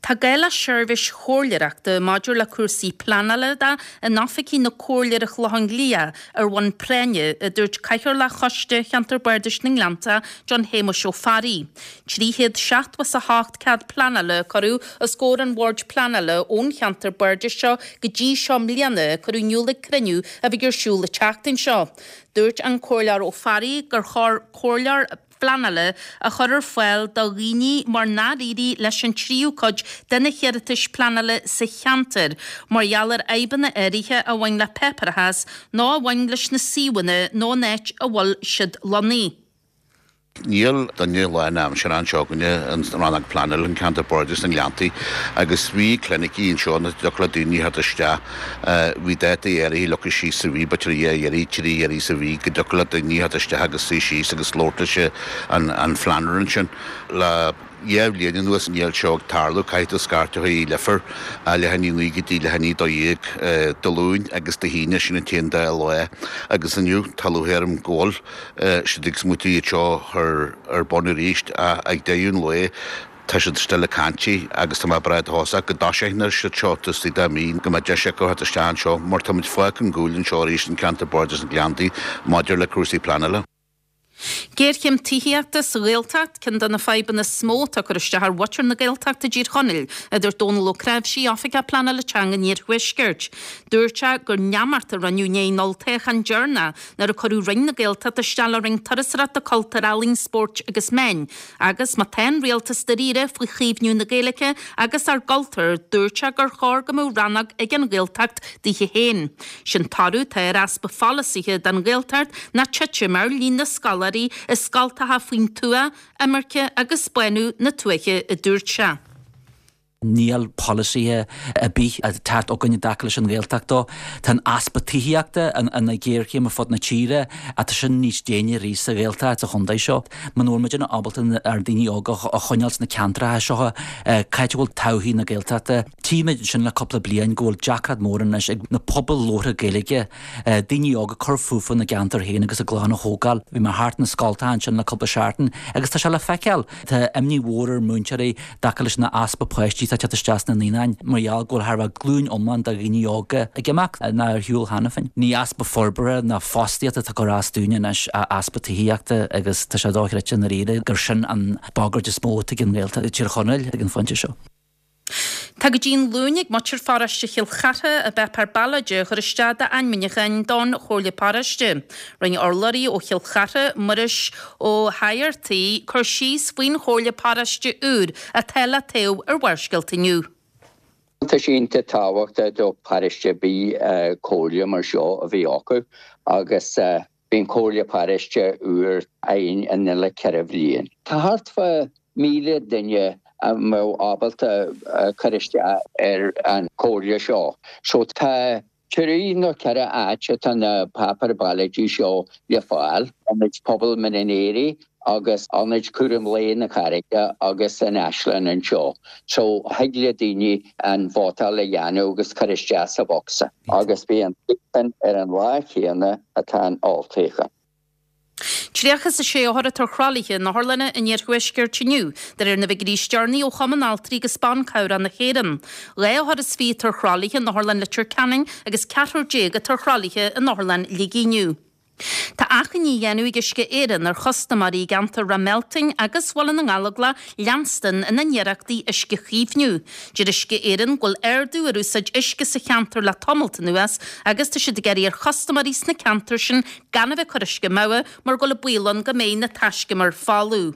Tá gá le seirbhís chomhairleoireachta maidir le cúrsaí pleanála de in oifigí na Comhairle ar an Chlochán Liath ar bhonn práinne, a dúirt Cathaoirleach Choiste Cheantar Bardais na nGleannta, John Shéamuis Ó Fearraigh. 378 cead pleanála a cuireadh os comhair an Bhoird Pleanála ón cheantar bardais seo go dtí seo i mbliana, a cuireadh in iúl ag cruinniú a bheidh ar siúl an tseachtain seo. Dúirt an Comhairleoir Ó Fearraigh gur chóir comhairleoir pleanála a chur ar fáil do dhaoine mar nár éirigh leis an tríú cuid de na hiarratais pleanála sa cheantar mar gheall ar fhadhbanna áirithe a bhain le páipéarachas nó a bhain leis na suíomhanna nó an áit a bhfuil siad lonnaithe. Níl duine lán-aimseartha anseo againne in Rannóg Pleanála an Ceantar Bardais na nGleanntaí agus bhí clinicí anseo ina dtiocfadh le daoine theacht isteach. Bhí dátaí áirithe leagtha síos sa mhí, b'fhéidir dhá iarraidh, trí iarraidh sa mhí, go dtiocfadh le daoine theacht isteach agus suí síos agus labhairt leis an phleanálaí ansin. Le dhá bhliain anuas níl seo ag tarlú, caithfidh tú scairteadh chuig Leifear leath i ndiaidh a naoi go dtí leath i ndiaidh a 12 Dé Luain agus Dé hAoine, sin an t-aon dá lá. Agus inniu tá lúcháir orm go bhfuil siad ag smaoitiú iad seo a chur ar bun arís ach ag deireadh an lae Tá siad still ag caint agus tá mé breá dóchasach go dtoiseoidh siad seo taobh istigh de mhí, go mbeidh deis acu theacht isteach anseo mar táimid fágtha ar gcúl anseo arís in Ceantar Bardais na nGleanntaí maidir le cúrsaí pleanála. Géarchéim tithíochta sa Ghaeltacht, ceann de na fadhbanna is mó atá ag cur isteach ar mhuintir na Gaeltachta i dTír Chonaill, a dúirt Dónal Ó Cnáimhsí, Oifigeach Pleanála Teanga an Iarthuaiscirt. Dúirt sé gur neamart a rinneadh i ndiaidh an olltoghcháin deireanach nuair a cuireadh Roinn na Gaeltachta isteach le Roinn Turasóireachta, Cultúir, Ealaíon, Spóirt agus Meáin. Agus má tá an rialtas dáiríre faoi chaomhnú na Gaeilge agus ár gcultúr, dúirt sé gur chóir go mbeadh rannóg ag an Ghaeltacht daoithe féin. Sé'n toradh atá ar easpa pholasaithe don Ghaeltacht ná titim ar líon na scoláirí i scoltacha faoin tuath, imirce agus bánú na tuaithe, a dúirt sé. Níl polasaithe ar bith ag teacht againn i dtaca leis an Ghaeltacht dó. Tá an easpa tithíochta ina ghéarchéim ar fud na tíre ach tá sin níos déine arís sa Ghaeltacht sa chontae seo. Muna bhfuil muidne ábalta ár ndaoine óga a choinneáil sna ceantracha seo, cá háit a bhfuil todhchaí na Gaeltachta? Tchímid ansin le cúpla bliain go bhfuil deacracht mór anois ag na pobail labhartha Gaeilge, daoine óga cur fúthu ina gceantar féin agus a gclann a thógáil. Bhí mé thart na scoltacha ansin le cúpla seachtain agus tá sé le feiceáil. Tá imní mhór ar mhúinteoirí i dtaca leis an easpa páistí atá ag teacht isteach sna naíonáin mar gheall go bhfuil thar a bheith glúin iomlán de dhaoine óga ag imeacht nó ar shiúl cheana féin. Ní easpa forbartha ná fostaíochta atá ag cur as dúinn anois ach easpa tithíochta agus tá sé dochreidte i ndáiríre gur sin an bhagairt is mó atá ag an nGaeltacht i dTír Chonaill ag an phointe seo. Tá go dtí an Luan ag muintir pharóiste Chill Chartha a bpáipéar ballóide a chur isteach d'ainmniúcháin don Chomhairle Paróiste. Rinne urlabhraí ó Chill Chartha, Muiris Ó hEigeartaigh, cur síos faoin Chomhairle Paróiste úr atá le toghadh ar Bharrscéalta inniu. Tá sé iontach tábhachtach do pharóiste ar bith comhairle mar seo a bheith acu agus bíonn comhairle paróiste úr againn an uile 4 bhliain. Tá thart fá 1,000 duine a mbeadh ábalta cur isteach ar an chomhairle seo. So tá trí nó 4 áit atá na páipéir ballóide seo le fáil, Ionad Pobail Mín an Aoraigh agus Ionad Cúram Lae na Carraige agus an Áislann anseo. So thig le daoine an vótáil a dhéanamh agus cur isteach sa bhocsa agus beidh an toghchán ar an lá chéanna atá an olltoghchán. 36 othar atá ar thralaithe in otharlanna an iarthuaiscirt inniu, de réir na bhfigiúirí is deireanaí ó Chumann Altraí agus Ban Cabhrach na hÉireann. 12 othar atá ar thralaithe in Otharlann Leitir Ceanainn agus ceathrar atá ar thralaithe in Otharlann Shligigh inniu. Tá achainí á dhéanamh ag Uisce Éireann ar chustaiméirí i gceantar Ráth Mealtain agus Bhaile na nGallóglach leanstan ina n-iarrachtaí uisce a chaomhnú. Deir Uisce Éireann go bhfuil ardú ar úsáid uisce sa cheantar le tamalt anuas agus tá siad ag iarraidh ar chustaiméirí sna ceantair sin gan a bheith ag cur uisce amú mar go bhfuil an baol ann go mbeidh na taiscumair folamh.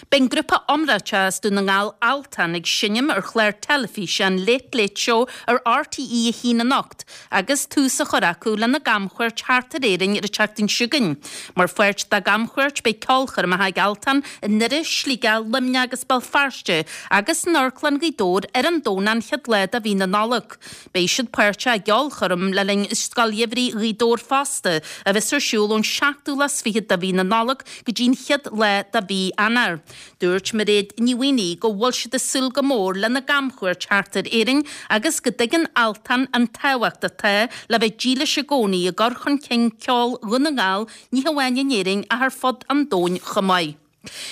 Beidh an grúpa iomráiteach as Dún na nGall Altan ag seinm ar chlár teilifíse an Late Late Show ar RTÉ 1 anocht agus tús á chur acu lena gcamchuairt thart ar Éirinn ar an tseachtain seo chugainn. Mar pháirt dá gcamchuairt beidh ceolchoirmeacha ag Altan i nDoire, Sligeach, Luimneach agus Béal Feirste agus in Amharclann Ghaoth Dobhair ar an Domhnach an chéad lá de mhí na Nollag. Beidh siad páirteach i gceolchoirm le linn Scoil Gheimhridh Ghaoth Dobhair fosta, a bheas ar siúl ón seachtú lá is fichead de mhí na Nollag go dtí an chéad lá de mhí Eanáir. Dúirt Mairéad Ní Mhaonaigh go bhfuil siad ag súil go mór lena gcamchuairt thart ar Éirinn agus go dtuigeann Altan an tábhacht atá le bheith dílis i gcónaí i gcur chun cinn ceol Dhún na nGall ní hamháin in Éirinn ach ar fud an domhain chomh maith.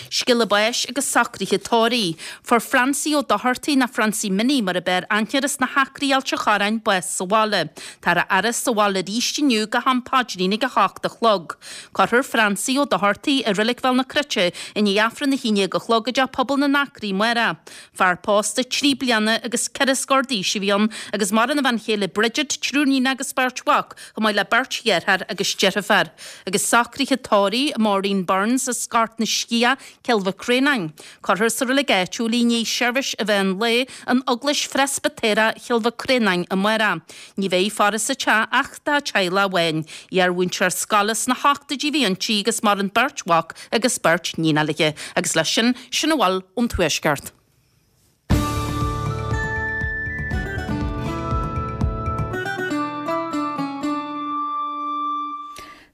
Scéala báis agus socruithe tórraimh. Fuair Francie Ó Dochartaigh, nó Francie Minnie mar a b'fhearr aithne air as na hAcraí Ailt an Chorráin, bás sa bhaile. Táthar á fhaire sa bhaile arís inniu go ham paidrín ag 8 a chlog. Cuirfear Francie Ó Dochartaigh i Reilig Bhéal na Cruite i ndiaidh Aifreann 11 a chlog i dTeach Pobail na nAcraí amárach. Fear pósta trí bliana agus ceithre scór d'aois a bhí ann agus maireann a bhean chéile Bridget, triúr níon agus beirt mhac, chomh maith le beirt dheartháir agus deirfiúr. Agus socruithe tórraimh Maureen Burns as Gort na Sciath, Cill Mhic Réanáin. Cuirfear sa reilig áitiúil í i ndiaidh seirbhís an mheán lae in Eaglais Phreispitéireach Chill Mhic Réanáin amárach. Ní bheidh faire sa teach ach dá teaghlach amháin. Iar-mhúinteoir scoile sna hochtóidí a bhí inti agus maireann beirt mhac agus beirt níon léi. Agus leis sin, sin a bhfuil ón Tuaisceart.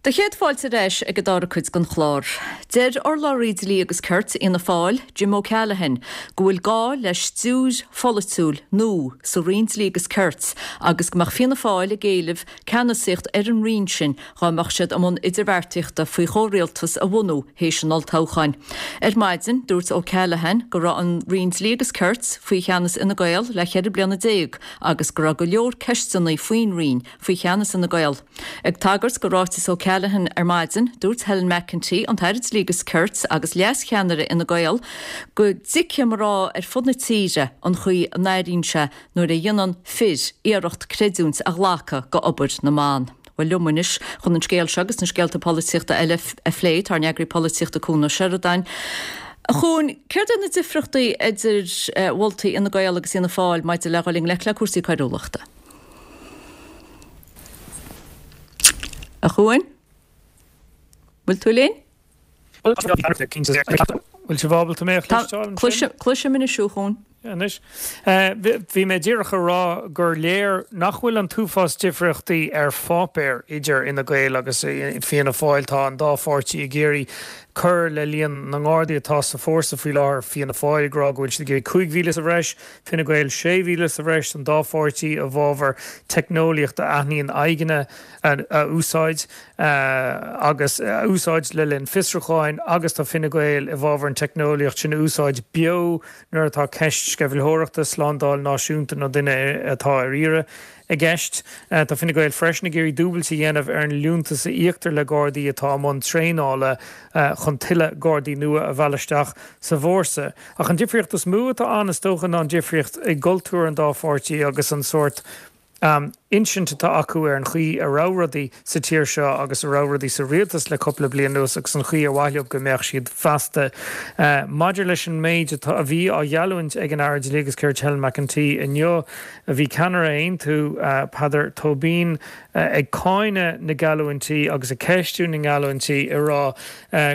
Do chéad fáilte ar ais ag an dara cuid den chlár. Deir urlabhraí Dlí agus Cirt Fhianna Fáil, Jim O'Callaghan, go bhfuil gá le stiúir pholaitiúil nua sa Roinn Dlí agus Cirt agus go mbeadh Fianna Fáil ag éileamh ceannasaíocht ar an roinn sin dhá mbeadh siad i mbun idirbheartaíochta faoi chomhrialtas a bhunú théis an olltoghcháin. Ar maidin, dúirt O'Callaghan go raibh an Roinn Dlí agus Cirt faoi cheannas Fhine Gael le 14 bliana agus go raibh go leor ceisteanna faoin roinn faoi cheannas Fhine Gael. Ag tagairt do ráiteas O'Callaghan ar maidin, dúirt Helen McEntee, an tAire Dlí agus Cirt agus leas-cheannaire Fhine Gael, go dtuigfeadh mná ar fud na tíre an chaoi a n-airíonn sé nuair a dhéanann fir iarracht creidiúint a ghlacadh go obair na mban. Bhuel, liom anois chun an scéal seo agus na scéalta polaitíochta eile a phlé, tá ár n-eagraí polaitíochta Cuan Ó Seireadáin. A Chuain, céard iad na difriochtaí idir mholtaí Fhine Gael agus Fhianna Fáil maidir le dhul i ngleic le cúrsaí coiriúlachta? A Chuain? Bhfuil tú linn? Bhfuil sibh ábalta mé a chloisteáil ansin? Cloisim anois thú, a Chuain. Anois. Bhí mé díreach a rá gur léir nach bhfuil an t-uafás difríochtaí ar pháipéar idir Fhine Gael agus Fianna Fáil. Tá an dá pháirtí ag iarraidh cur le líon na nGardaí atá sa fórsa faoi láthair, Fianna Fáil ag rá go bhfuil siad ag iarraidh 5,000 sa bhreis, Fine Gael 6,000 sa bhreis, an dá pháirtí i bhfabhar teicneolaíocht a aithníonn aghaidheanna a úsáid agus a úsáid le linn fiosrúcháin agus tá Fine Gael i bhfabhar an teicneolaíocht sin a úsáid beo nuair atá ceist sceimhlitheoireachta, slándáil náisiúnta nó duine atá ar iarraidh. i gceist. Tá Fine Gael freisin ag iarraidh dúbailt a dhéanamh ar an liúntas a íoctar le Gardaí atá i mbun traenála chun tuilleadh Gardaí nua a mhealladh isteach sa bhfórsa. Ach an difríocht is mó atá ann, is dócha, ná an difríocht i gcultúr an dá pháirtí agus an sórt insint atá acu ar an chaoi a raibh rudaí sa tír seo agus a raibh rudaí sa rialtas le cúpla bliain anuas agus an chaoi ar mhaith leo go mbeadh siad feasta. Maidir leis an méid atá, a bhí á gheallúint ag an Aire Dlí agus Cirt Helen McEntee inniu, bhí ceannaire Aontú, Peadar Tóibín, ag cáineadh na geallúintí agus ag ceistiú na ngeallúintí, ag rá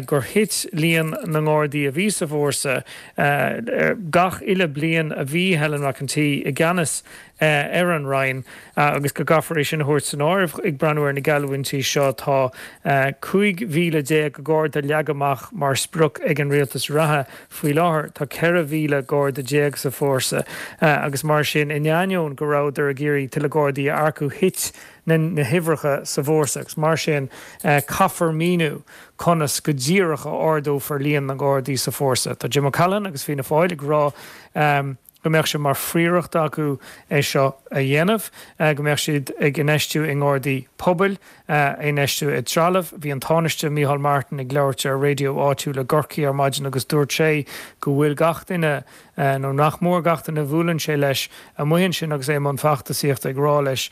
gur thit líon na nGardaí a bhí sa bhfórsa gach uile bliain a bhí Helen McEntee i gceannas ar an Roinn agus go gcaithfear é sin a thabhairt san áireamh ag breathnú ar na geallúintí seo. Tá 15,000 Garda leagtha amach mar sprioc ag an rialtas reatha. Faoi láthair tá 14,000 Garda sa bhfórsa agus mar sin, in ainneoin go rabhadar ag iarraidh tuilleadh Gardaí a earcú, thit na huimhreacha sa bhfórsa agus mar sin caithfear míniú conas go díreach a ardófar líon na nGardaí sa bhfórsa. Tá Jim O'Callaghan agus Fianna Fáil ag rá go mbeadh sé mar phríoracht acu é seo a dhéanamh, go mbeadh siad ag infheistiú i nGardaí pobail, infheistiú i dtrealamh. Bhí an Tánaiste Micheál Martin ag labhairt ar raidió áitiúil i gCorcaigh ar maidin agus dúirt sé go bhfuil gach duine, nó nach mór gach duine a bhuaileann sé leis amuigh ansin agus é i mbun feachtasaíochta ag rá leis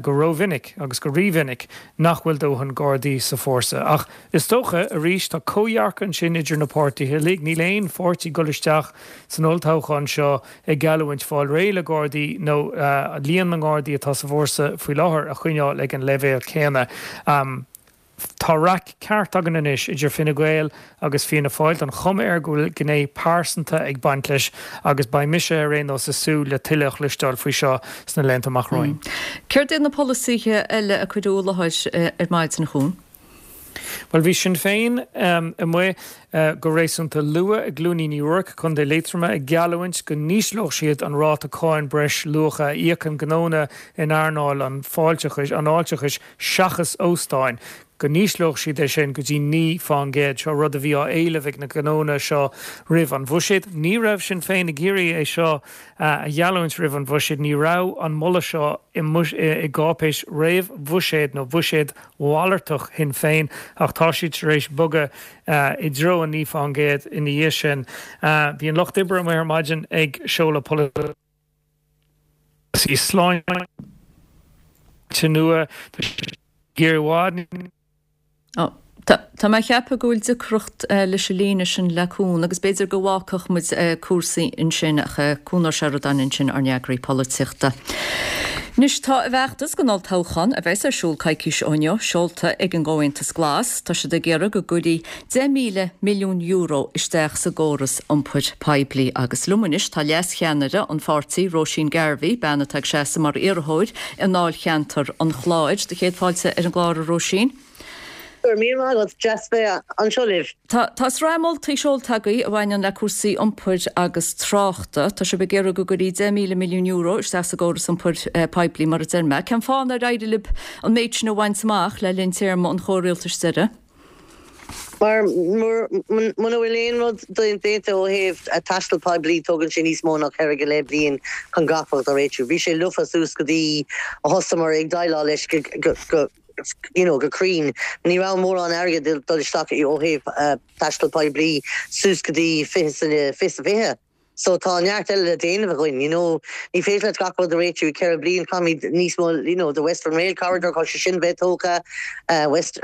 go rómhinic agus go rímhinic nach bhfuil dóthain Gardaí sa bhfórsa. Ach is dócha, arís, tá comhdhearcadh ansin idir na páirtithe uilig. Níl aon pháirtí ag dul isteach san olltoghchán seo ag geallúint fáil réidh le Gardaí nó líon na nGardaí atá sa bhfórsa faoi láthair a choinneáil ag an leibhéal céanna. Tá raic ceart againn anois idir Fine Gael agus Fianna Fáil. Tá an chuma air go bhfuil gné pearsanta ag baint leis agus beidh mise ar aon nós ag súil le tuilleadh a chloisteáil faoi seo sna laethanta amach romhainn. Céard iad na polasaithe eile a cuireadh i láthair ar maidin, a Chuain? Bhuel, bhí Sinn Féin amuigh go réasúnta luath i gCluainín Uí Ruairc, Contae Liatroma, ag geallúint go n-ísleodh siad an ráta cáin breis luacha a íocann gnónna in earnáil an fáilteachais, an fháilteachais seachas óstáin, go n-ísleodh siad é sin go dtí 9 fán gcéad. Seo rud a bhí á éileamh ag na gnónna seo roimh an bhuiséad. Ní raibh Sinn Féin ag iarraidh é seo a gheallúint roimh an bhuiséad. Ní raibh an moladh seo i gcáipéis réamh-bhuiséid nó buiséad mhalartach Shinn Féin ach tá siad tar éis bogadh i dtreo an 9 fán gcéad ina dhiaidh sin. Bhí an Lucht Oibre amuigh ar maidin ag seoladh polasaí sláinte nua. Tá siad ag iarraidh i bhfad níos. Tá mé ag ceapadh go bhfuil deacracht leis an líne sin le Cuan agus b'fhéidir go bhfágfadh muid cúrsaí ansin ach Cuan Ó Seireadáin ansin ár n-eagraí polaitíochta. Anois tá a bhfeachtas don olltoghchán, a bheas ar siúl coicís ó inniu, seolta ag an gComhaontas Glas. Tá siad ag iarraidh go gcuirfí €10,000 milliún isteach sa gcóras iompair poiblí. Agus liom anois tá leascheannaire an pháirtí, Róisín Garvey, bean atá ag seasamh mar iarrthóir i ndáilcheantar an Chláir. Do chéad fáilte ar an gclár, a Róisín. Go raibh míle maith agat, deas bheith anseo libh. Tá tá sraith moltaí seolta agaibh a bhaineann le cúrsaí iompair agus tráchta. Tá sibh ag iarraidh go gcuirfí €10,000 milliún isteach sa gcóras iompair poiblí, mar a deir mé. Cén fáth nár éirigh libh an méid sin a bhaint amach le linn téarma an chomhrialtais deiridh? Mar muna bhfuil aon rud déanta ó thaobh taisteal poiblí, tógann sé níos mó ná ceithre go leith bliain chun gach rud a réitiú. Bhí sé lofa suas go dtí a thosaíomar ag déileáil leis go you know, go cruinn. Ní raibh mórán airgid ag dul isteach ó thaobh taisteal poiblí suas go dtí 2020. So tá neart eile le déanamh againn, you know. Ní féidir leat gach rud a réitiú i 4 bliain, caithfimid níos mó, you know, the Western Rail Corridor, caithfidh sé sin bheith tógtha, West,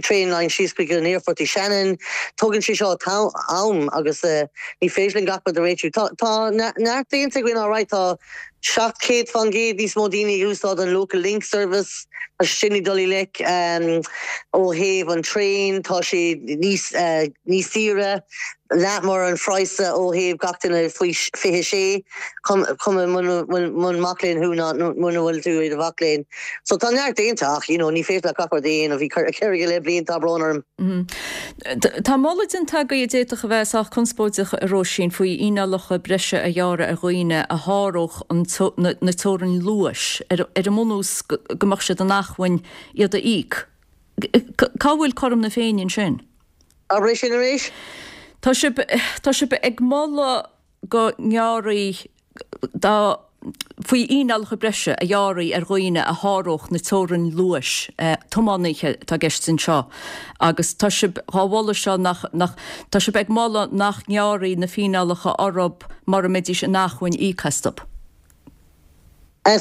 train line síos chuig an aerfort i Shannon. Tógann sé seo am agus ní féidir linn gach rud a réitiú. Tá, tá neart déanta againn alright, tá 700 fán gcéad níos mó daoine ag úsáid an Local Link Service, tá sé sin ag dul i ngleic ó thaobh an traein, tá sé níos níos saoire, leath mar an phraghas ó thaobh gach duine faoi 26, cuma muna mac léinn thú ná muna bhfuil tú i do mhac léinn. So tá neart déanta ach you know ní féidir leat gach rud a dhéanamh i ceithre go leith bliain, tá brón orm. Tá moladh déanta agaibh a d'fhéadfadh a bheith sách conspóideach, a Róisín, faoi fhíneálacha breise a ghearradh ar dhaoine a sháródh na teorainn luais, ar an mbunús go mbeadh siad in acmhainn iad a íoc. Cá bhfuil cothrom na Féinne ansin? Abair é sin arís? Tá sibh, tá sibh ag moladh go ngearrfaí dá. Faoi fhíneálacha breise a ghearrfaí ar dhaoine a sháródh na teorainn luais, tiománaithe atá i gceist anseo, agus tá sibh dhá mholadh seo nach, nach, tá sibh ag moladh nach ngearrfaí na fíneálacha orthub mura mbeidís in acmhainn íoc astub.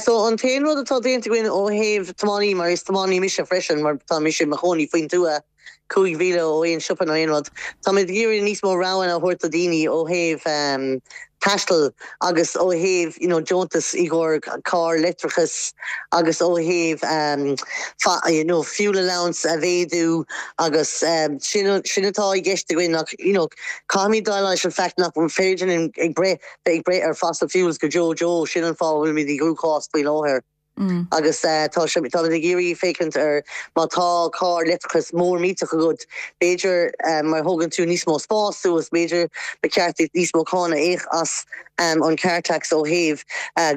So an t-aon rud atá déanta againn ó thaobh tiománaí, mar is tiománaí mise freisin, mar tá mise i mo chónaí faoin tuath, 5,000 ó aon siopa nó aon rud. Táimid ag iarraidh níos mó roghanna a thabhairt do dhaoine ó thaobh taistil agus ó thaobh you know deontas i gcomhair carr leictreachais agus ó thaobh you know fuel allowance a mhéadú agus sin sin atá i gceist againn ach you know caithfimid déileáil leis an fact nach féidir linn ag breith bheith ag breith ar fossil fuels go deo deo sin an fáth a bhfuilimid i gcruachás faoi láthair. Agus tá sé, táimid ag iarraidh féachaint ar má tá carr leictreachais mór millteach agat, b'fhéidir mar thógann tú níos mó spás suas, b'fhéidir ba cheart duit níos mó cáin a íoc as an car tax ó thaobh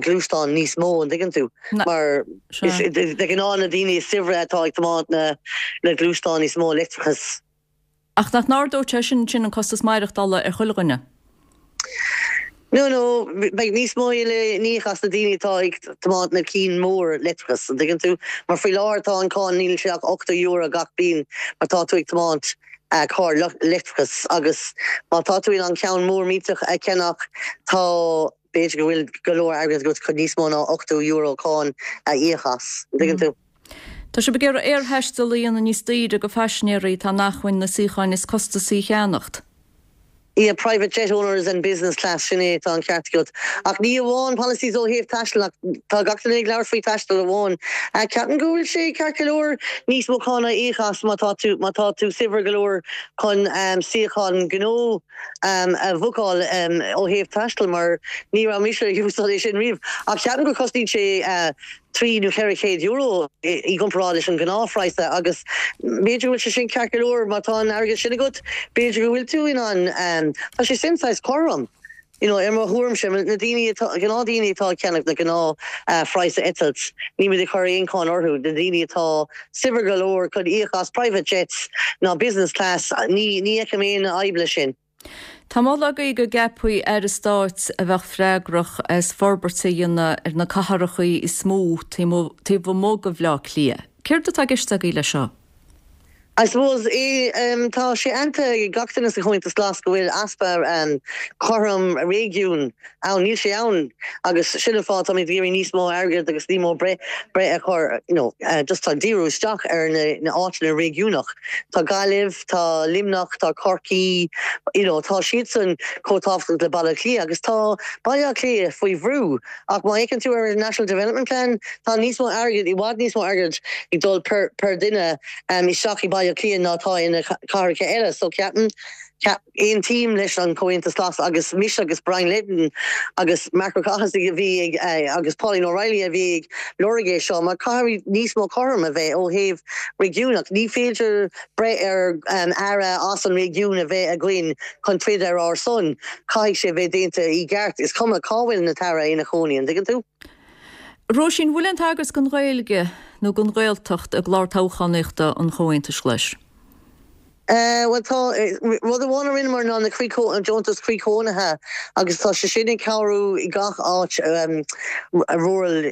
gluaisteán níos mó, an dtuigeann tú? Mar is de ghnáth na daoine is saibhre atá ag tiomáint na gluaisteáin níos mó leictreachais. Ach nach n-ardódh sé sin ansin an costas maireachtála ar chuile dhuine? No, no, beidh níos mó le n-íoc as na daoine atá ag tiomáint na cinn mór leictreachas, an dtuigeann tú? Mar faoi láthair tá an cáin, níl sé ach €80 gach bliain mar tá tú ag tiomáint carr leictreachas agus má tá tú in ann ceann mór millteach a cheannach tá, b'fhéidir go bhfuil go leor airgead agat chun níos mó ná €80 cáin a íoc as, an dtuigeann tú? Tá sibh ag iarraidh aerthaisteal a dhéanamh níos daoire do phaisinéirí atá in acmhainn na suíocháin is costasaí a cheannacht. Yeah, private jet owners and business class, sin é, tá an ceart agat. Ach ní amháin policies ó thaobh taistil ach tá gach duine ag labhairt faoi taisteal amháin. Ceapaim go bhfuil sé ceart go leor níos mó cáin a íoc as má tá tú, má tá tú saibhir go leor chun suíochán gnó a bhookáil ó thaobh taistil mar ní raibh mise ag úsáid é sin riamh ach ceapaim go cosnaíonn sé €3 nó €400 i gcomparáid leis an gnáthphraghas agus b'fhéidir go bhfuil sé sin ceart go leor má tá an airgead sin agat b'fhéidir go bhfuil tú in ann tá sé sin saghas cothrom. You know, ar mo thuairimse, na daoine atá, gnáthdhaoine atá ag ceannach na gnáthphraghas eitilt, nílimid ag cur aon cháin orthu, na daoine atá saibhir go leor chun íoc as private jets ná business class, ní, ní fheicim aon fhadhb leis sin. Tá moladh agaibh go gceapfaí Aire Stáit a bheadh freagrach as forbairt a dhéanamh ar na cathrachaí is mó taobh amuigh de Bhleá Cliath. Céard atá i gceist agaibh leis seo? I suppose, tá sé aitheanta ag gach duine sa Chomhaontas Glas go bhfuil easpa cothrom réigiún ann. Níl sé ann agus sin an fáth táimid ag iarraidh níos mó airgead agus níos mó breith a chur, you know, just tá díriú isteach ar na áiteanna réigiúnach. Tá Gaillimh, tá Luimneach, tá Corcaigh, you know, tá siadsan chomh tábhachtach le Baile Átha Cliath agus tá Baile Átha Cliath faoi bhrú. Ach má fhéachann tú ar an National Development Plan, tá níos mó airgid, i bhfad níos mó airgid ag dul per per duine isteach i Baile Átha Cliath ná atá ina cathracha eile. So ceapaim, aontaím leis an Comhaontas Glas agus mise agus Brian Leddin agus Marc Ó Cathasaigh a bhí ag agus Pauline O'Reilly a bhí ag lorg é seo mar caithfidh níos mó cothrom a bheith ó thaobh réigiúnach. Ní féidir breith ar aire as an réigiún a bheith againn chun troid ar ár son. Caithfidh sé bheith déanta i gceart. Is cuma cá bhfuil an t-aire ina chónaí, an dtuigeann tú? Róisín, bhfuil aon tagairt don Ghaeilge nó don Ghaeltacht i gclár toghchánaíochta an Chomhaontais Ghlais? Bhuel tá. Rud amháin a rinneamar ná na croí, an deontas croí cónaithe agus tá sé sin ag cabhrú i gach áit rural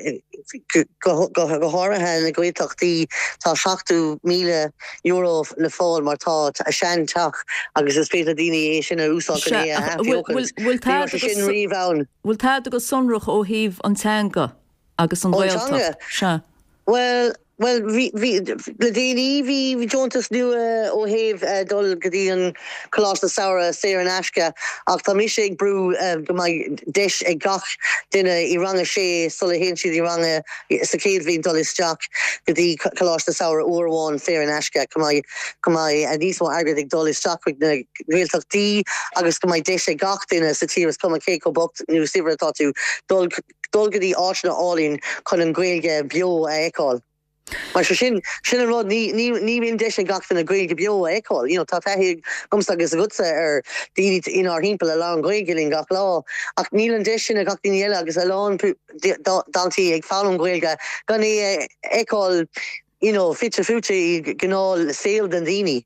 go háirithe na Gaeltachtaí. Tá €70,000 le fáil má tá sean teach agus is féidir le daoine é sin a úsáid chun é a athbheochaint. Ní raibh sé sin riamh ann. Bhfuil tada go sonrach ó thaobh an teanga agus an Ghaeltacht? Sea. Bhuel, bhuel, bhí, bhí, le déanaí bhí deontas nua ó thaobh dul go dtí an Coláiste Samhraidh saor in aisce ach tá mise ag brú go mbeidh deis ag gach duine i rang a sé sula théann siad i rang a sa chéad bhliain dul isteach go dtí Coláiste Samhraidh uair amháin saor in aisce, go mbeidh, go mbeidh níos mó airgid ag dul isteach chuig na Gaeltachtaí agus go mbeidh deis ag gach duine sa tír, is cuma cé chomh bocht nó saibhir atá tú, dul, dul go dtí áiteanna álainn chun an Ghaeilge beo a fheiceáil. Mar sin, sin an rud, ní, ní, ní bhíonn deis ag gach duine Gaeilge beo a fheiceáil. You know, tá taithí agamsa agus agatsa ar daoine inár thimpeall a labhrann Gaeilge linn gach lá, ach níl an deis sin ag gach daoine eile agus a lán daltaí ag foghlaim Gaeilge gan é a fheiceáil you know, fite fuaite i gnáth saol na ndaoine.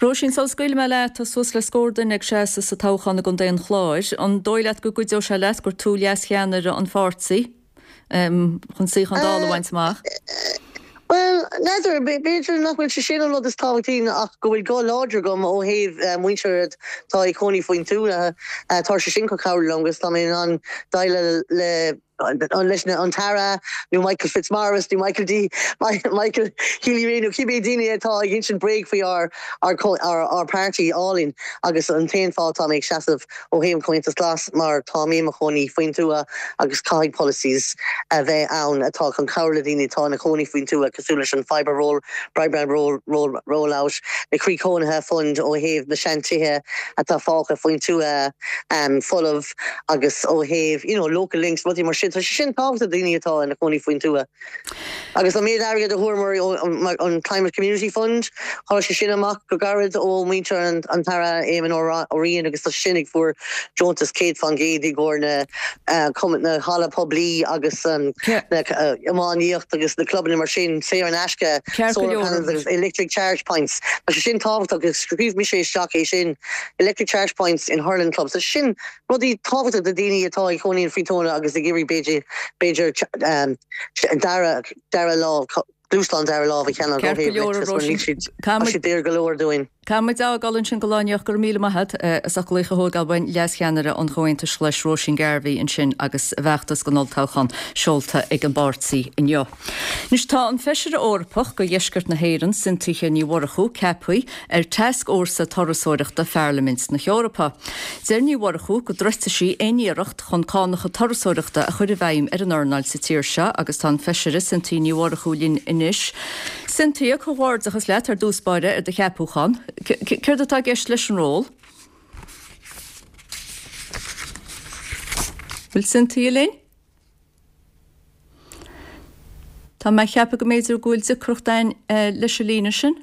Róisín, sula scaoilfidh mé leat, tá suas le scór duine ag seasamh sa toghchán i gContae an Chláir. An dóigh leat go gcuideoidh sé leat gur tú leascheannaire an pháirtí? chun suíochán Dála a bhaint amach? Bhuel, n'fheadar, b'fhéidir nach bhfuil sé sin an rud is tábhachtaí ach go bhfuil guth láidir agam ó thaobh muintir atá ag cónaí faoin tuath. Tá sé sin chun cabhrú liom agus tá mé in ann déileáil le leis an tAire nó Michael Fitzmaurice nó Michael D Michael Healy-Rae nó cibé daoine atá ag insint bréag faoi ár ár páirtí álainn agus an t-aon fáth atá mé ag seasamh ó thaobh an Comhaontas Glas mar tá mé i mo chónaí faoin tuath agus caithfidh policies a bheith ann atá chun cabhrú le daoine atá ina chónaí faoin tuath cosúil leis an fibre roll broadband roll roll roll out na croí cónaithe fund ó thaobh na seantithe atá fágtha faoin tuath folamh agus ó thaobh you know local links rudaí mar sin tá sé sin tábhachtach do daoine atá ina chónaí faoin tuath. Agus an méid airgid a fuaireamar ón Climate Community Fund, tháinig sé sin amach go gairid ó mhuintir an tAire Éamon Ó Riain agus tá sé sin ag fuair deontas 100% i gcomhair na na halla poiblí agus na iománaíocht agus na clubanna mar sin, saor in aisce, solar panels agus electric charge points. Tá sé sin tábhachtach agus scríobh mise isteach é sin, electric charge points in hurling clubs. Tá sé sin Rudaí tábhachtach do daoine atá ag cónaí faoin tuath agus ag iarraidh b'fhéidir b'fhéidir dara dara lámh gluaisteán dara lámh a cheannach ó Ceart go thaobh leor a leictreachais mar níl Róisín. siad tá Caithfimid siad daor go leor dúinn. Caithfidh muid a fhágáil ansin don lá inniu. Go raibh míle maith agat as ucht glaoch a thógáil uainn. Leas-Cheannaire an Chomhaontais Ghlais Róisín Garvey ansin agus a bhfeachtas don olltoghchán seolta ag an bpáirtí inniu. Anois tá an Feisire Eorpach do Dheisceart na hÉireann, Cynthia Ní Mhurchú, ceaptha ar Tascfhórsa Turasóireachta Pharlaimint na hEorpa. Deir Ní Mhurchú go dtroidfidh sí aon iarracht chun cánacha turasóireachta a chur i bhfeidhm ar an earnáil sa tír seo agus tá an Feisire Cynthia Ní Mhurchú linn anois. Cynthia, comhghairdeachas leat ar dtús báire ar do cheapúchán. Céard atá i gceist leis an ról? Bhfuil Cynthia linn? Tá mé ag ceapadh go mb'fhéidir go bhfuil deacracht againn leis an líne sin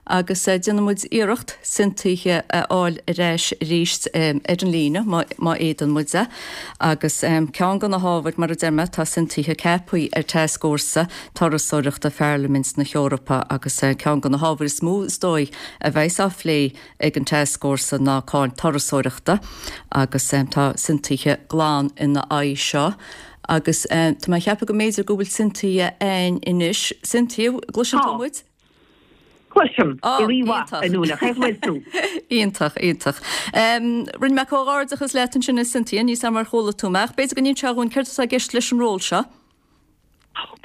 agus déanfaidh muid iarracht Cynthia a fháil ar ais arís ar an líne má fhéadann muid é. Agus ceann de na hábhair, mar a deir mé, tá Cynthia ceaptha ar Tascfhórsa Turasóireachta Pharlaimint na hEorpa agus ceann de na hábhair is mó is dóigh a bheas á phlé ag an Tascfhórsa ná cáin turasóireachta agus tá Cynthia glan ina aghaidh seo agus tá mé ag ceapadh go mb'fhéidir go bhfuil Cynthia againn anois. Cynthia, gcloiseann tú Tá. muid? Cloisim. Ó, Go rí-mhaith, iontach. a Nuala. Cén chaoi a bhfuil tú? Iontach, iontach. Rinne mé comhghairdeachas leat ansin a Cynthia, níl 's a'm ar chuala tú mé ach b'fhéidir go n-inseofá dhúinn céard atá i gceist leis an ról seo?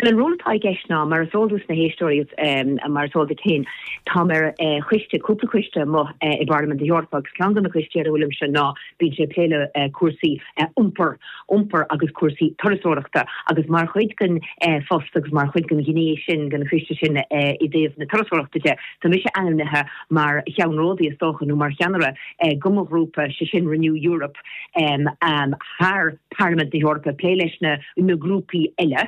Bhuel, an ról atá i gceist ná, mar is eol dos na héisteoirí agus mar is eol duit féin, táim ar choiste, cúpla coiste amuigh i bParlaimint na hEorpa agus ceann de na coistí ar a bhfuilimse ná bíonn sé ag plé le cúrsaí iompair, iompair agus cúrsaí turasóireachta agus mar chuid den phost agus mar chuid den ghné sin den choiste sin i dtaobh na turasóireachta de, tá mise ainmnithe mar cheannródaí is dócha nó mar cheannaire do mo ghrúpa, sé sin Renew Europe. thar Parlaimint na hEorpa, plé leis na na grúpaí eile,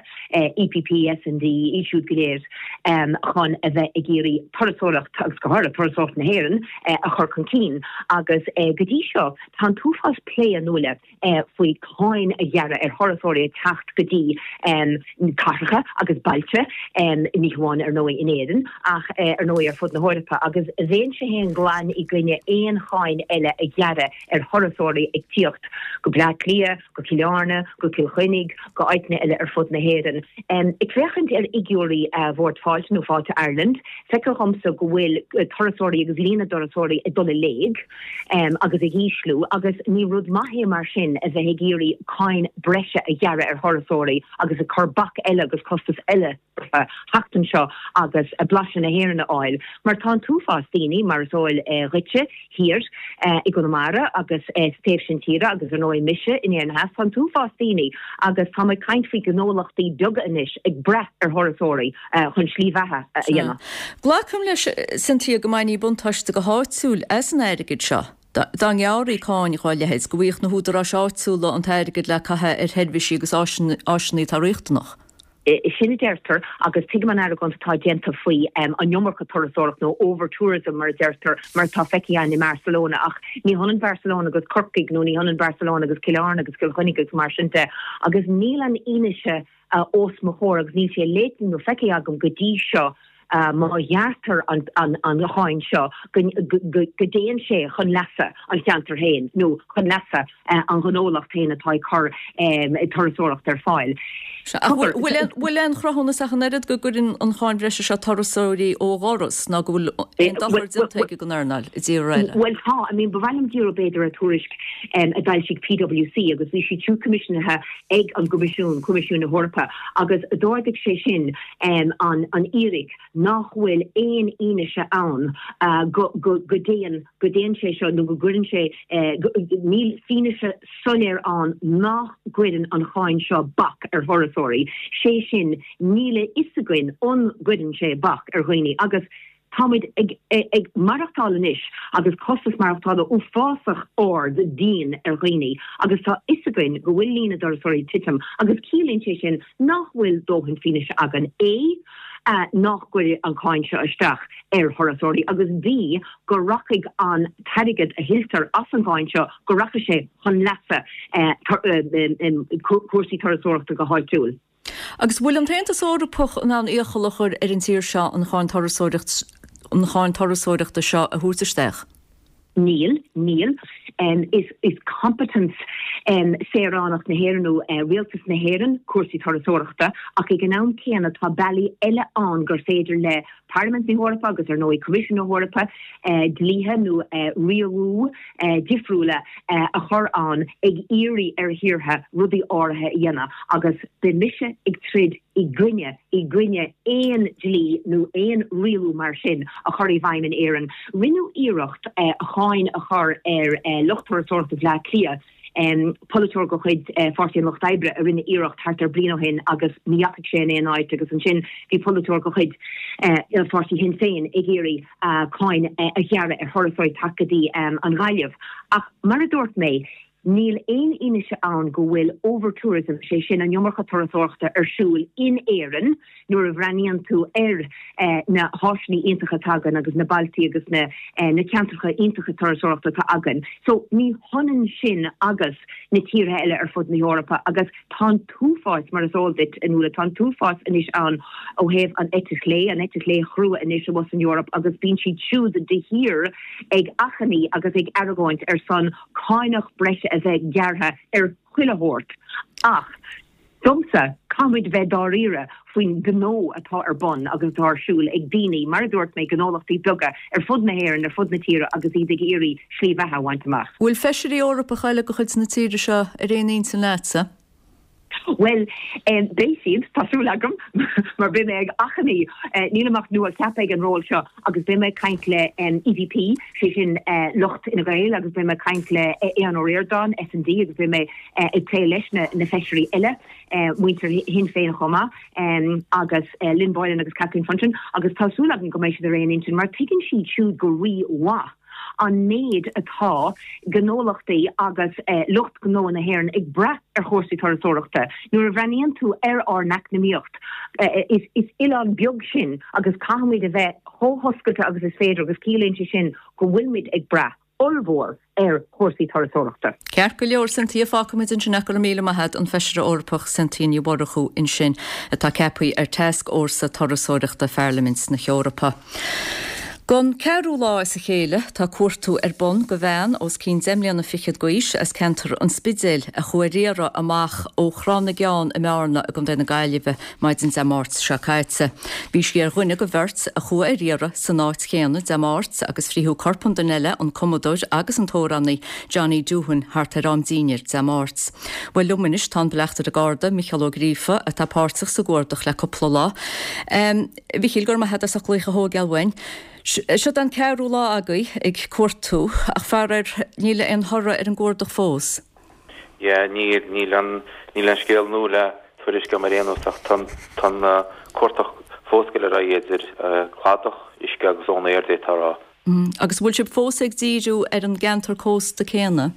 EPP, S&D, iad siúd go léir, chun a bheith ag iarraidh turasóireacht, agus go háirithe turasóireacht na hÉireann, a chur chun cinn. Agus go dtí seo, tá an t-uafás plé, a Nuala, faoi cáin a ghearradh ar thurasóirí ag teacht go dtí cathracha agus bailte, ní hamháin, ar ndóigh, in Éirinn, ach ar ndóigh ar fud na hEorpa. Agus bheinnse féin glan i gcoinne aon cháin eile a ghearradh ar thurasóirí ag tíocht go Bleá Cliath, go Cill Airne, go Cill Chainnigh, go áiteanna eile ar fud na hÉireann. Ag féachaint ar fhigiúirí Bhord Fáilte nó Fáilte Ireland, feictear dhomsa go bhfuil turasóirí agus líon na dturasóirí ag dul i léig agus ag ísliú agus ní rud maith é mar sin a bheith ag iarraidh cáin breise a ghearradh ar thurasóirí agus ag cur bac eile agus costas eile orthu theacht anseo agus blaiseadh na hÉireann a fháil mar tá an t-uafás daoine, mar is eol dhuitse, thiar i gConamara agus sa taobh sin tíre agus ar ndóigh mise in Éirinn Theas, tá an t-uafás daoine agus tá mé ag caint faoi ghnólachtaí beaga anois ag brath ar thurasóirí chun slí bheatha a dhéanamh. Glacaim leis, Cynthia, go mbainfí buntáiste go háitiúil as an airgead seo. Dá ngearrfaí cáin dhá leithéid, go bhfaigheadh na húdaráis áitiúla an t-airgead le caitheamh ar sheirbhísí agus áiseanna atá riachtanach. Sin a deirtear, agus tuigim an argóint atá déanta faoi an iomarca turasóireacht nó over-tourism mar a deirtear, mar atá feicthe againn i mBarcelona. Ach ní hionann Barcelona agus Corcaigh nó ní hionann Barcelona agus Cill Airne agus Cill Chainnigh agus mar sin de. Agus níl an fhianaise os mo chomhair agus níl sé léite nó feicthe agam go dtí seo má ghearrtar an cháin seo go dtéann sé chun leasa an cheantair féin nó chun leasa an ghnólacht féin atá ag cur turasóireacht ar fáil. Sea, ach bhfuil aon chruthúnas ach an oiread go gcuireann an cháin bhreise seo turasóirí ó dhoras ná go bhfuil aon dochar déanta aici don earnáil i dtíortha eile? Bhuel tá, I mean ba mhaith liom díriú b'fhéidir ar tuairisc a d'fhoilsigh PwC agus bhí siad siúd coimisiúnaithe ag an gCoimisiún, Coimisiún na hEorpa, agus d'ardaigh sé sin an fhíric nach bhfuil aon fhianaise ann go dtéann, go dtéann sé seo nó go gcuireann sé, níl fianaise soiléir ann nach gcuireann an cháin seo bac ar thurasóirí, sé sin, níl a fhios againn an gcuireann sé bac ar dhaoine agus táimid ag ag maireachtáil anois agus costas maireachtála uafásach ard dian ar dhaoine agus tá a fhios againn go bhfuil líon na dturasóirí ag titim agus ciallaíonn sé sin nach bhfuil dóthain fianaise againn, A, nach gcuirfidh an cháin seo isteach ar thurasóirí agus B, go rachaidh an t-airgead a thuilltear as an gcáin seo, go rachaidh sé chun leasa cúrsaí turasóireachta go háitiúil. Agus bhfuil an tAontas Eorpach in ann iachall a chur ar an tír seo an cháin an cháin turasóireachta seo a thabhairt isteach? Níl, níl. Is competence saoránach na hÉireann nó rialtas na hÉireann cúrsaí turasóireachta ach ag an am céanna tá bealaí eile ann gur féidir le Parlaimint na hEorpa agus ar ndóigh Coimisiún na hEorpa dlíthe nó rialú difriúla a chur ann ag iarraidh ar thíortha rudaí áirithe a dhéanamh agus beidh mise ag troid i gcoinne, i gcoinne aon dlí nó aon rialú mar sin a chur i bhfeidhm in Éirinn. Rinneadh iarracht cháin a chur ar lucht turasóireachta Bhaile Átha Cliath, polaiteoir de chuid Pháirtí an Lucht Oibre a rinne iarracht thart ar bliain ó shin agus ní dheachaigh sé in aon áit agus ansin bhí polaiteoir de chuid pháirtí Shinn Féin ag iarraidh cáin a ghearradh ar thurasóirí teacht go dtí an Ghaillimh. Ach mar a dúirt mé, Níl aon fhianaise ann go bhfuil overtourism, sé sin an iomarca turasóireachta, ar siúl in Éirinn nuair a bhreathnaíonn tú ar na háiseanna iontacha atá againn agus na bailtí agus na ceantracha iontacha turasóireachta atá againn. So ní hionann sin agus na tíortha eile ar fud na hEorpa agus tá an t-uafás, mar is eol duit, a Nuala, tá an t-uafás anois ann ó thaobh an eite chlé, an eite chlé chrua anois abhus san Eoraip agus bíonn siad siúd de shíor ag achainí agus ag argóint ar son cánach breise a bheith gearrtha ar chuile shórt ach domsa, caithfimid bheith dáiríre faoin ngnó atá ar bun agus atá ar siúl ag daoine, mar a dúirt mé, gnólachtaí beaga ar fud na hÉireann, ar fud na tíre agus iad ag iarraidh slí bheatha a bhaint amach. Bhfuil feisirí Eorpacha eile de chuid na tíre seo ar aon intinn leatsa? Bhuel, beidh siad, tá súil agam, mar beidh mé ag achainí, nílim ach nua-cheaptha ag an ról seo, agus beidh mé ag caint le EPP, sé sin lucht Fhine Gael, agus beidh mé ag caint le Aodhán Ó Ríordáin, S&D, agus beidh mé ag plé leis na feisirí eile, muintir Shinn Féin chomh maith, agus Lynn Boylan agus Kathleen Funchion, agus tá súil agam go mbeidh siad ar aon intinn, mar tuigeann siad siúd go rí-mhaith an méid atá gnólachtaí agus lucht gnó na hÉireann ag brath ar chúrsaí turasóireachta. Nuair a bhreathnaíonn tú ar ár n-eacnamaíocht, is oileán beag sinn agus caithfimid a bheith chomh hoscailte agus is féidir agus ciallaíonn sé sin go bhfuilimid ag brath ollmhór ar chúrsaí turasóireachta. Ceart go leor, Cynthia, fágfaimid ansin ach go raibh míle maith agat, an Feisire Eorpach Cynthia Ní Mhurchú ansin, atá ceaptha ar Tascfhórsa Turasóireachta Pharlaimint na hEorpa. Don ceathrú lá as a chéile tá cuartú ar bun go bhean os cionn deich mbliana fichead d'aois as ceantar an Spidéil a chuaigh ar iarraidh amach ó Thrá na gCeann i mBearna i gContae na Gaillimhe maidin Dé Máirt seo caite. Bhí sí ar dhuine go bheirt a chuaigh ar iarraidh san áit chéanna Dé Máirt agus frítheadh corp an duine eile, an cumadóir agus an t-amhránaí Johnny Doohan thart ar am dínnéir Dé Máirt. Bhuel liom anois tá an Bleachtaire Garda, Micheál Ó Gríofa, atá páirteach sa gcuardach le cúpla lá. A Mhichíl, go raibh maith agat as ucht glaoch a thógáil uainn. Seod an ceathrú lá agaibh ag cuartú, ach faraor níl aon thoradh ar an gcuardach fós. Yeah, níl, níl an, níl aon scéal nua le tuairisc agam ar aon nós ach tá an, tá an cuardach fós ag dul ar aghaidh idir cladach, uisce agus ón aer, d'fhéadfá a rá. Agus an bhfuil sibh fós ag díriú ar an gceantar cósta céanna?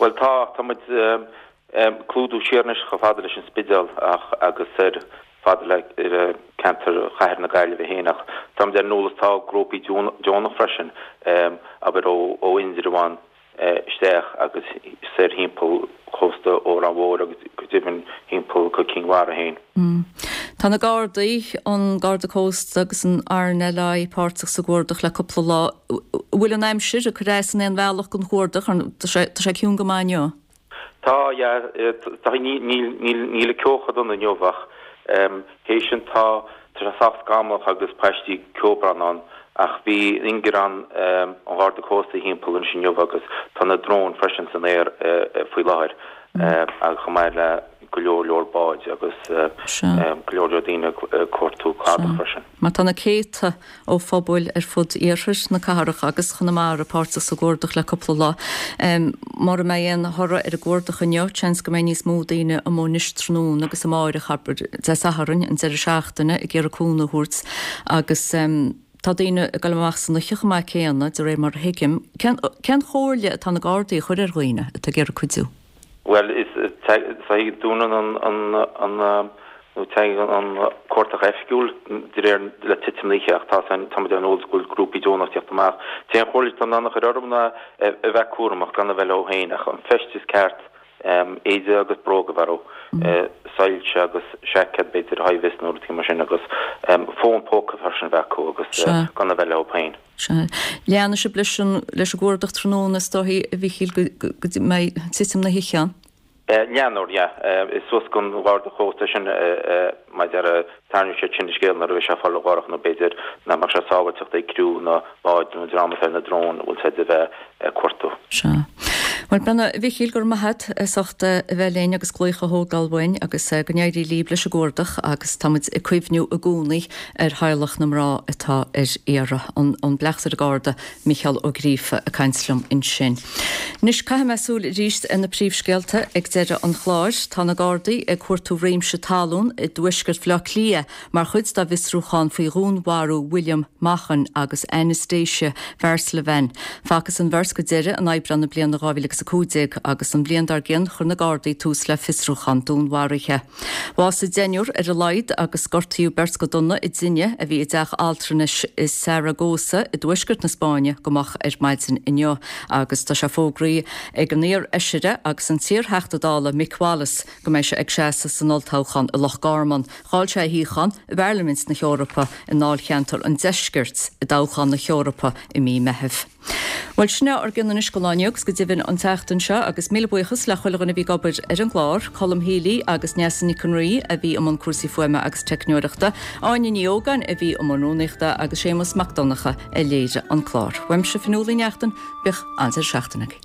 Bhuel tá, tá muid ag clúdú siar anois chomh fada leis an Spidéal ach agus ar fada le ceantar chathair na Gaillimhe féin ach táimid ar an eolas tá grúpaí deonach freisin abair ó Indreabhán isteach agus soir thimpeall chósta Órán Mhór agus go deimhin thimpeall go Cinn Mhara féin. Tá na Gardaí, an Garda Cósta agus an RNLI páirteach sa gcuardach le cúpla lá. An bhfuil an aimsir ag cur as in aon bhealach don chuardach? Tá sé ciúin go maith inniu. Tá, yeah, tá, níl, níl, níl an ceo chomh dona inniu ach théis sin tá, tá sé sách scamallach agus paistí ceobhrán ann ach bhí ingearán an Gharda Cósta thimpeall anois inniu agus tá na dróin freisin san aer faoi láthair agus chomh maith le go leor leor báid agus go leor leor daoine ag cuartú cladach freisin. Mar tá na céadta ó phobail ar fud iarthar na cathrach agus Chonamara páirteach sa gcuardach le cúpla lá. Mura mbeidh aon thoradh ar an gcuardach inniu, seans go mbeidh níos mó daoine amuigh anois tráthnóna agus amáireach, abair, Dé Sathairn, an deireadh seachtaine, ag iarraidh cúnamh a thabhairt agus tá daoine ag dul amach san oíche chomh maith céanna, de réir mar a thuigim. Cén chomhairle atá na Gardaí a chur ar dhaoine atá ag iarraidh cuidiú? Bhuel, is dúnann an nó tagann an cuardach oifigiúil de réir le titim na hoíche ach tá táimid ar an eolas go bhfuil grúpaí deonach ag teacht amach. An t-aon chomhairle atá in ann a chur orthu ná a bheith cúramach, gan a bheith leo féin ach an feisteas ceart, éide agus bróga a bheith orthu, soilse agus seaicéad b'fhéidir high-vis nó rudaí mar sin agus fón póca freisin a bheith acu agus gan a bheith leo féin. Sea. Leanfaidh sibh leis an leis an gcuardach tráthnóna is dóichí, a Mhichíl, go go mbeidh titim na hoíche ann? Leanfar, yeah. Is suas don Gharda Cósta sin mar a déarfá tarraingeoidh siad sin an scéal nuair a bheidh sé ag fáil dorcha nó b'fhéidir nach mbeadh sé sábháilteacht ag criú na mbád nó an dream atá ar na dróin a bhfuil siad a bheith ag cuartú. Sea. Bhuel, a Mhichíl, go raibh maith agat as ucht a bheith linn agus glaoch a thógáil uainn agus go n-éirí libh leis an gcuardach agus tá muid ag cuimhniú i gcónaí ar theaghlach na mná atá ar iarraidh. An Bleachtaire Garda Mícheál Ó Gríofa ag caint liom ansin. Anois caithfidh mé súil arís ar na príomhscéalta ag deireadh an chláir. Tá na Gardaí ag cuartú réimse talún i dtuaisceart Bhaile Átha Cliath mar chuid dá bhfiosrúchán faoi dhúnmharú William Maughan agus Anastasia Varslevan. Facthas an bheirt go deireadh in Aibreán na bliana 2015 agus an bhliain dár gcionn chuir na Gardaí tús le fiosrúchán dúnmharaithe. Bhásaigh deichniúr ar a laghad agus gortaíodh beirt go dona i dtine a bhí i dteach altranais i Saragossa i dtuaisceart na Spáinne go moch ar maidin inniu agus tá sé fógraithe ag an iar-fheisire agus an t-iar-Theachta Dála Mick Wallace go mbeidh sé ag seasamh san olltoghchán i Loch Garman. Chaill sé a shuíochán i bParlaimint na hEorpa i ndáilcheantar an Deiscirt i dtoghchán na hEorpa i mí Meithimh. Bhuel, sin é ár gcion anois don lá inniu agus go deimhin an tseachtain seo agus míle buíochas le chuile dhuine a bhí ag obair ar an gclár, Colm Healy agus Neasa Nic an Rí a bhí i mbun cúrsaí fuaime agus teicneoireachta, Áine Ní Ógáin a bhí i mbun rúnaíochta agus Séamus Mac Donncha a léirigh an clár. Uaimse Fionnuala Ní Neachtain, bíodh an-deireadh seachtaine agaibh.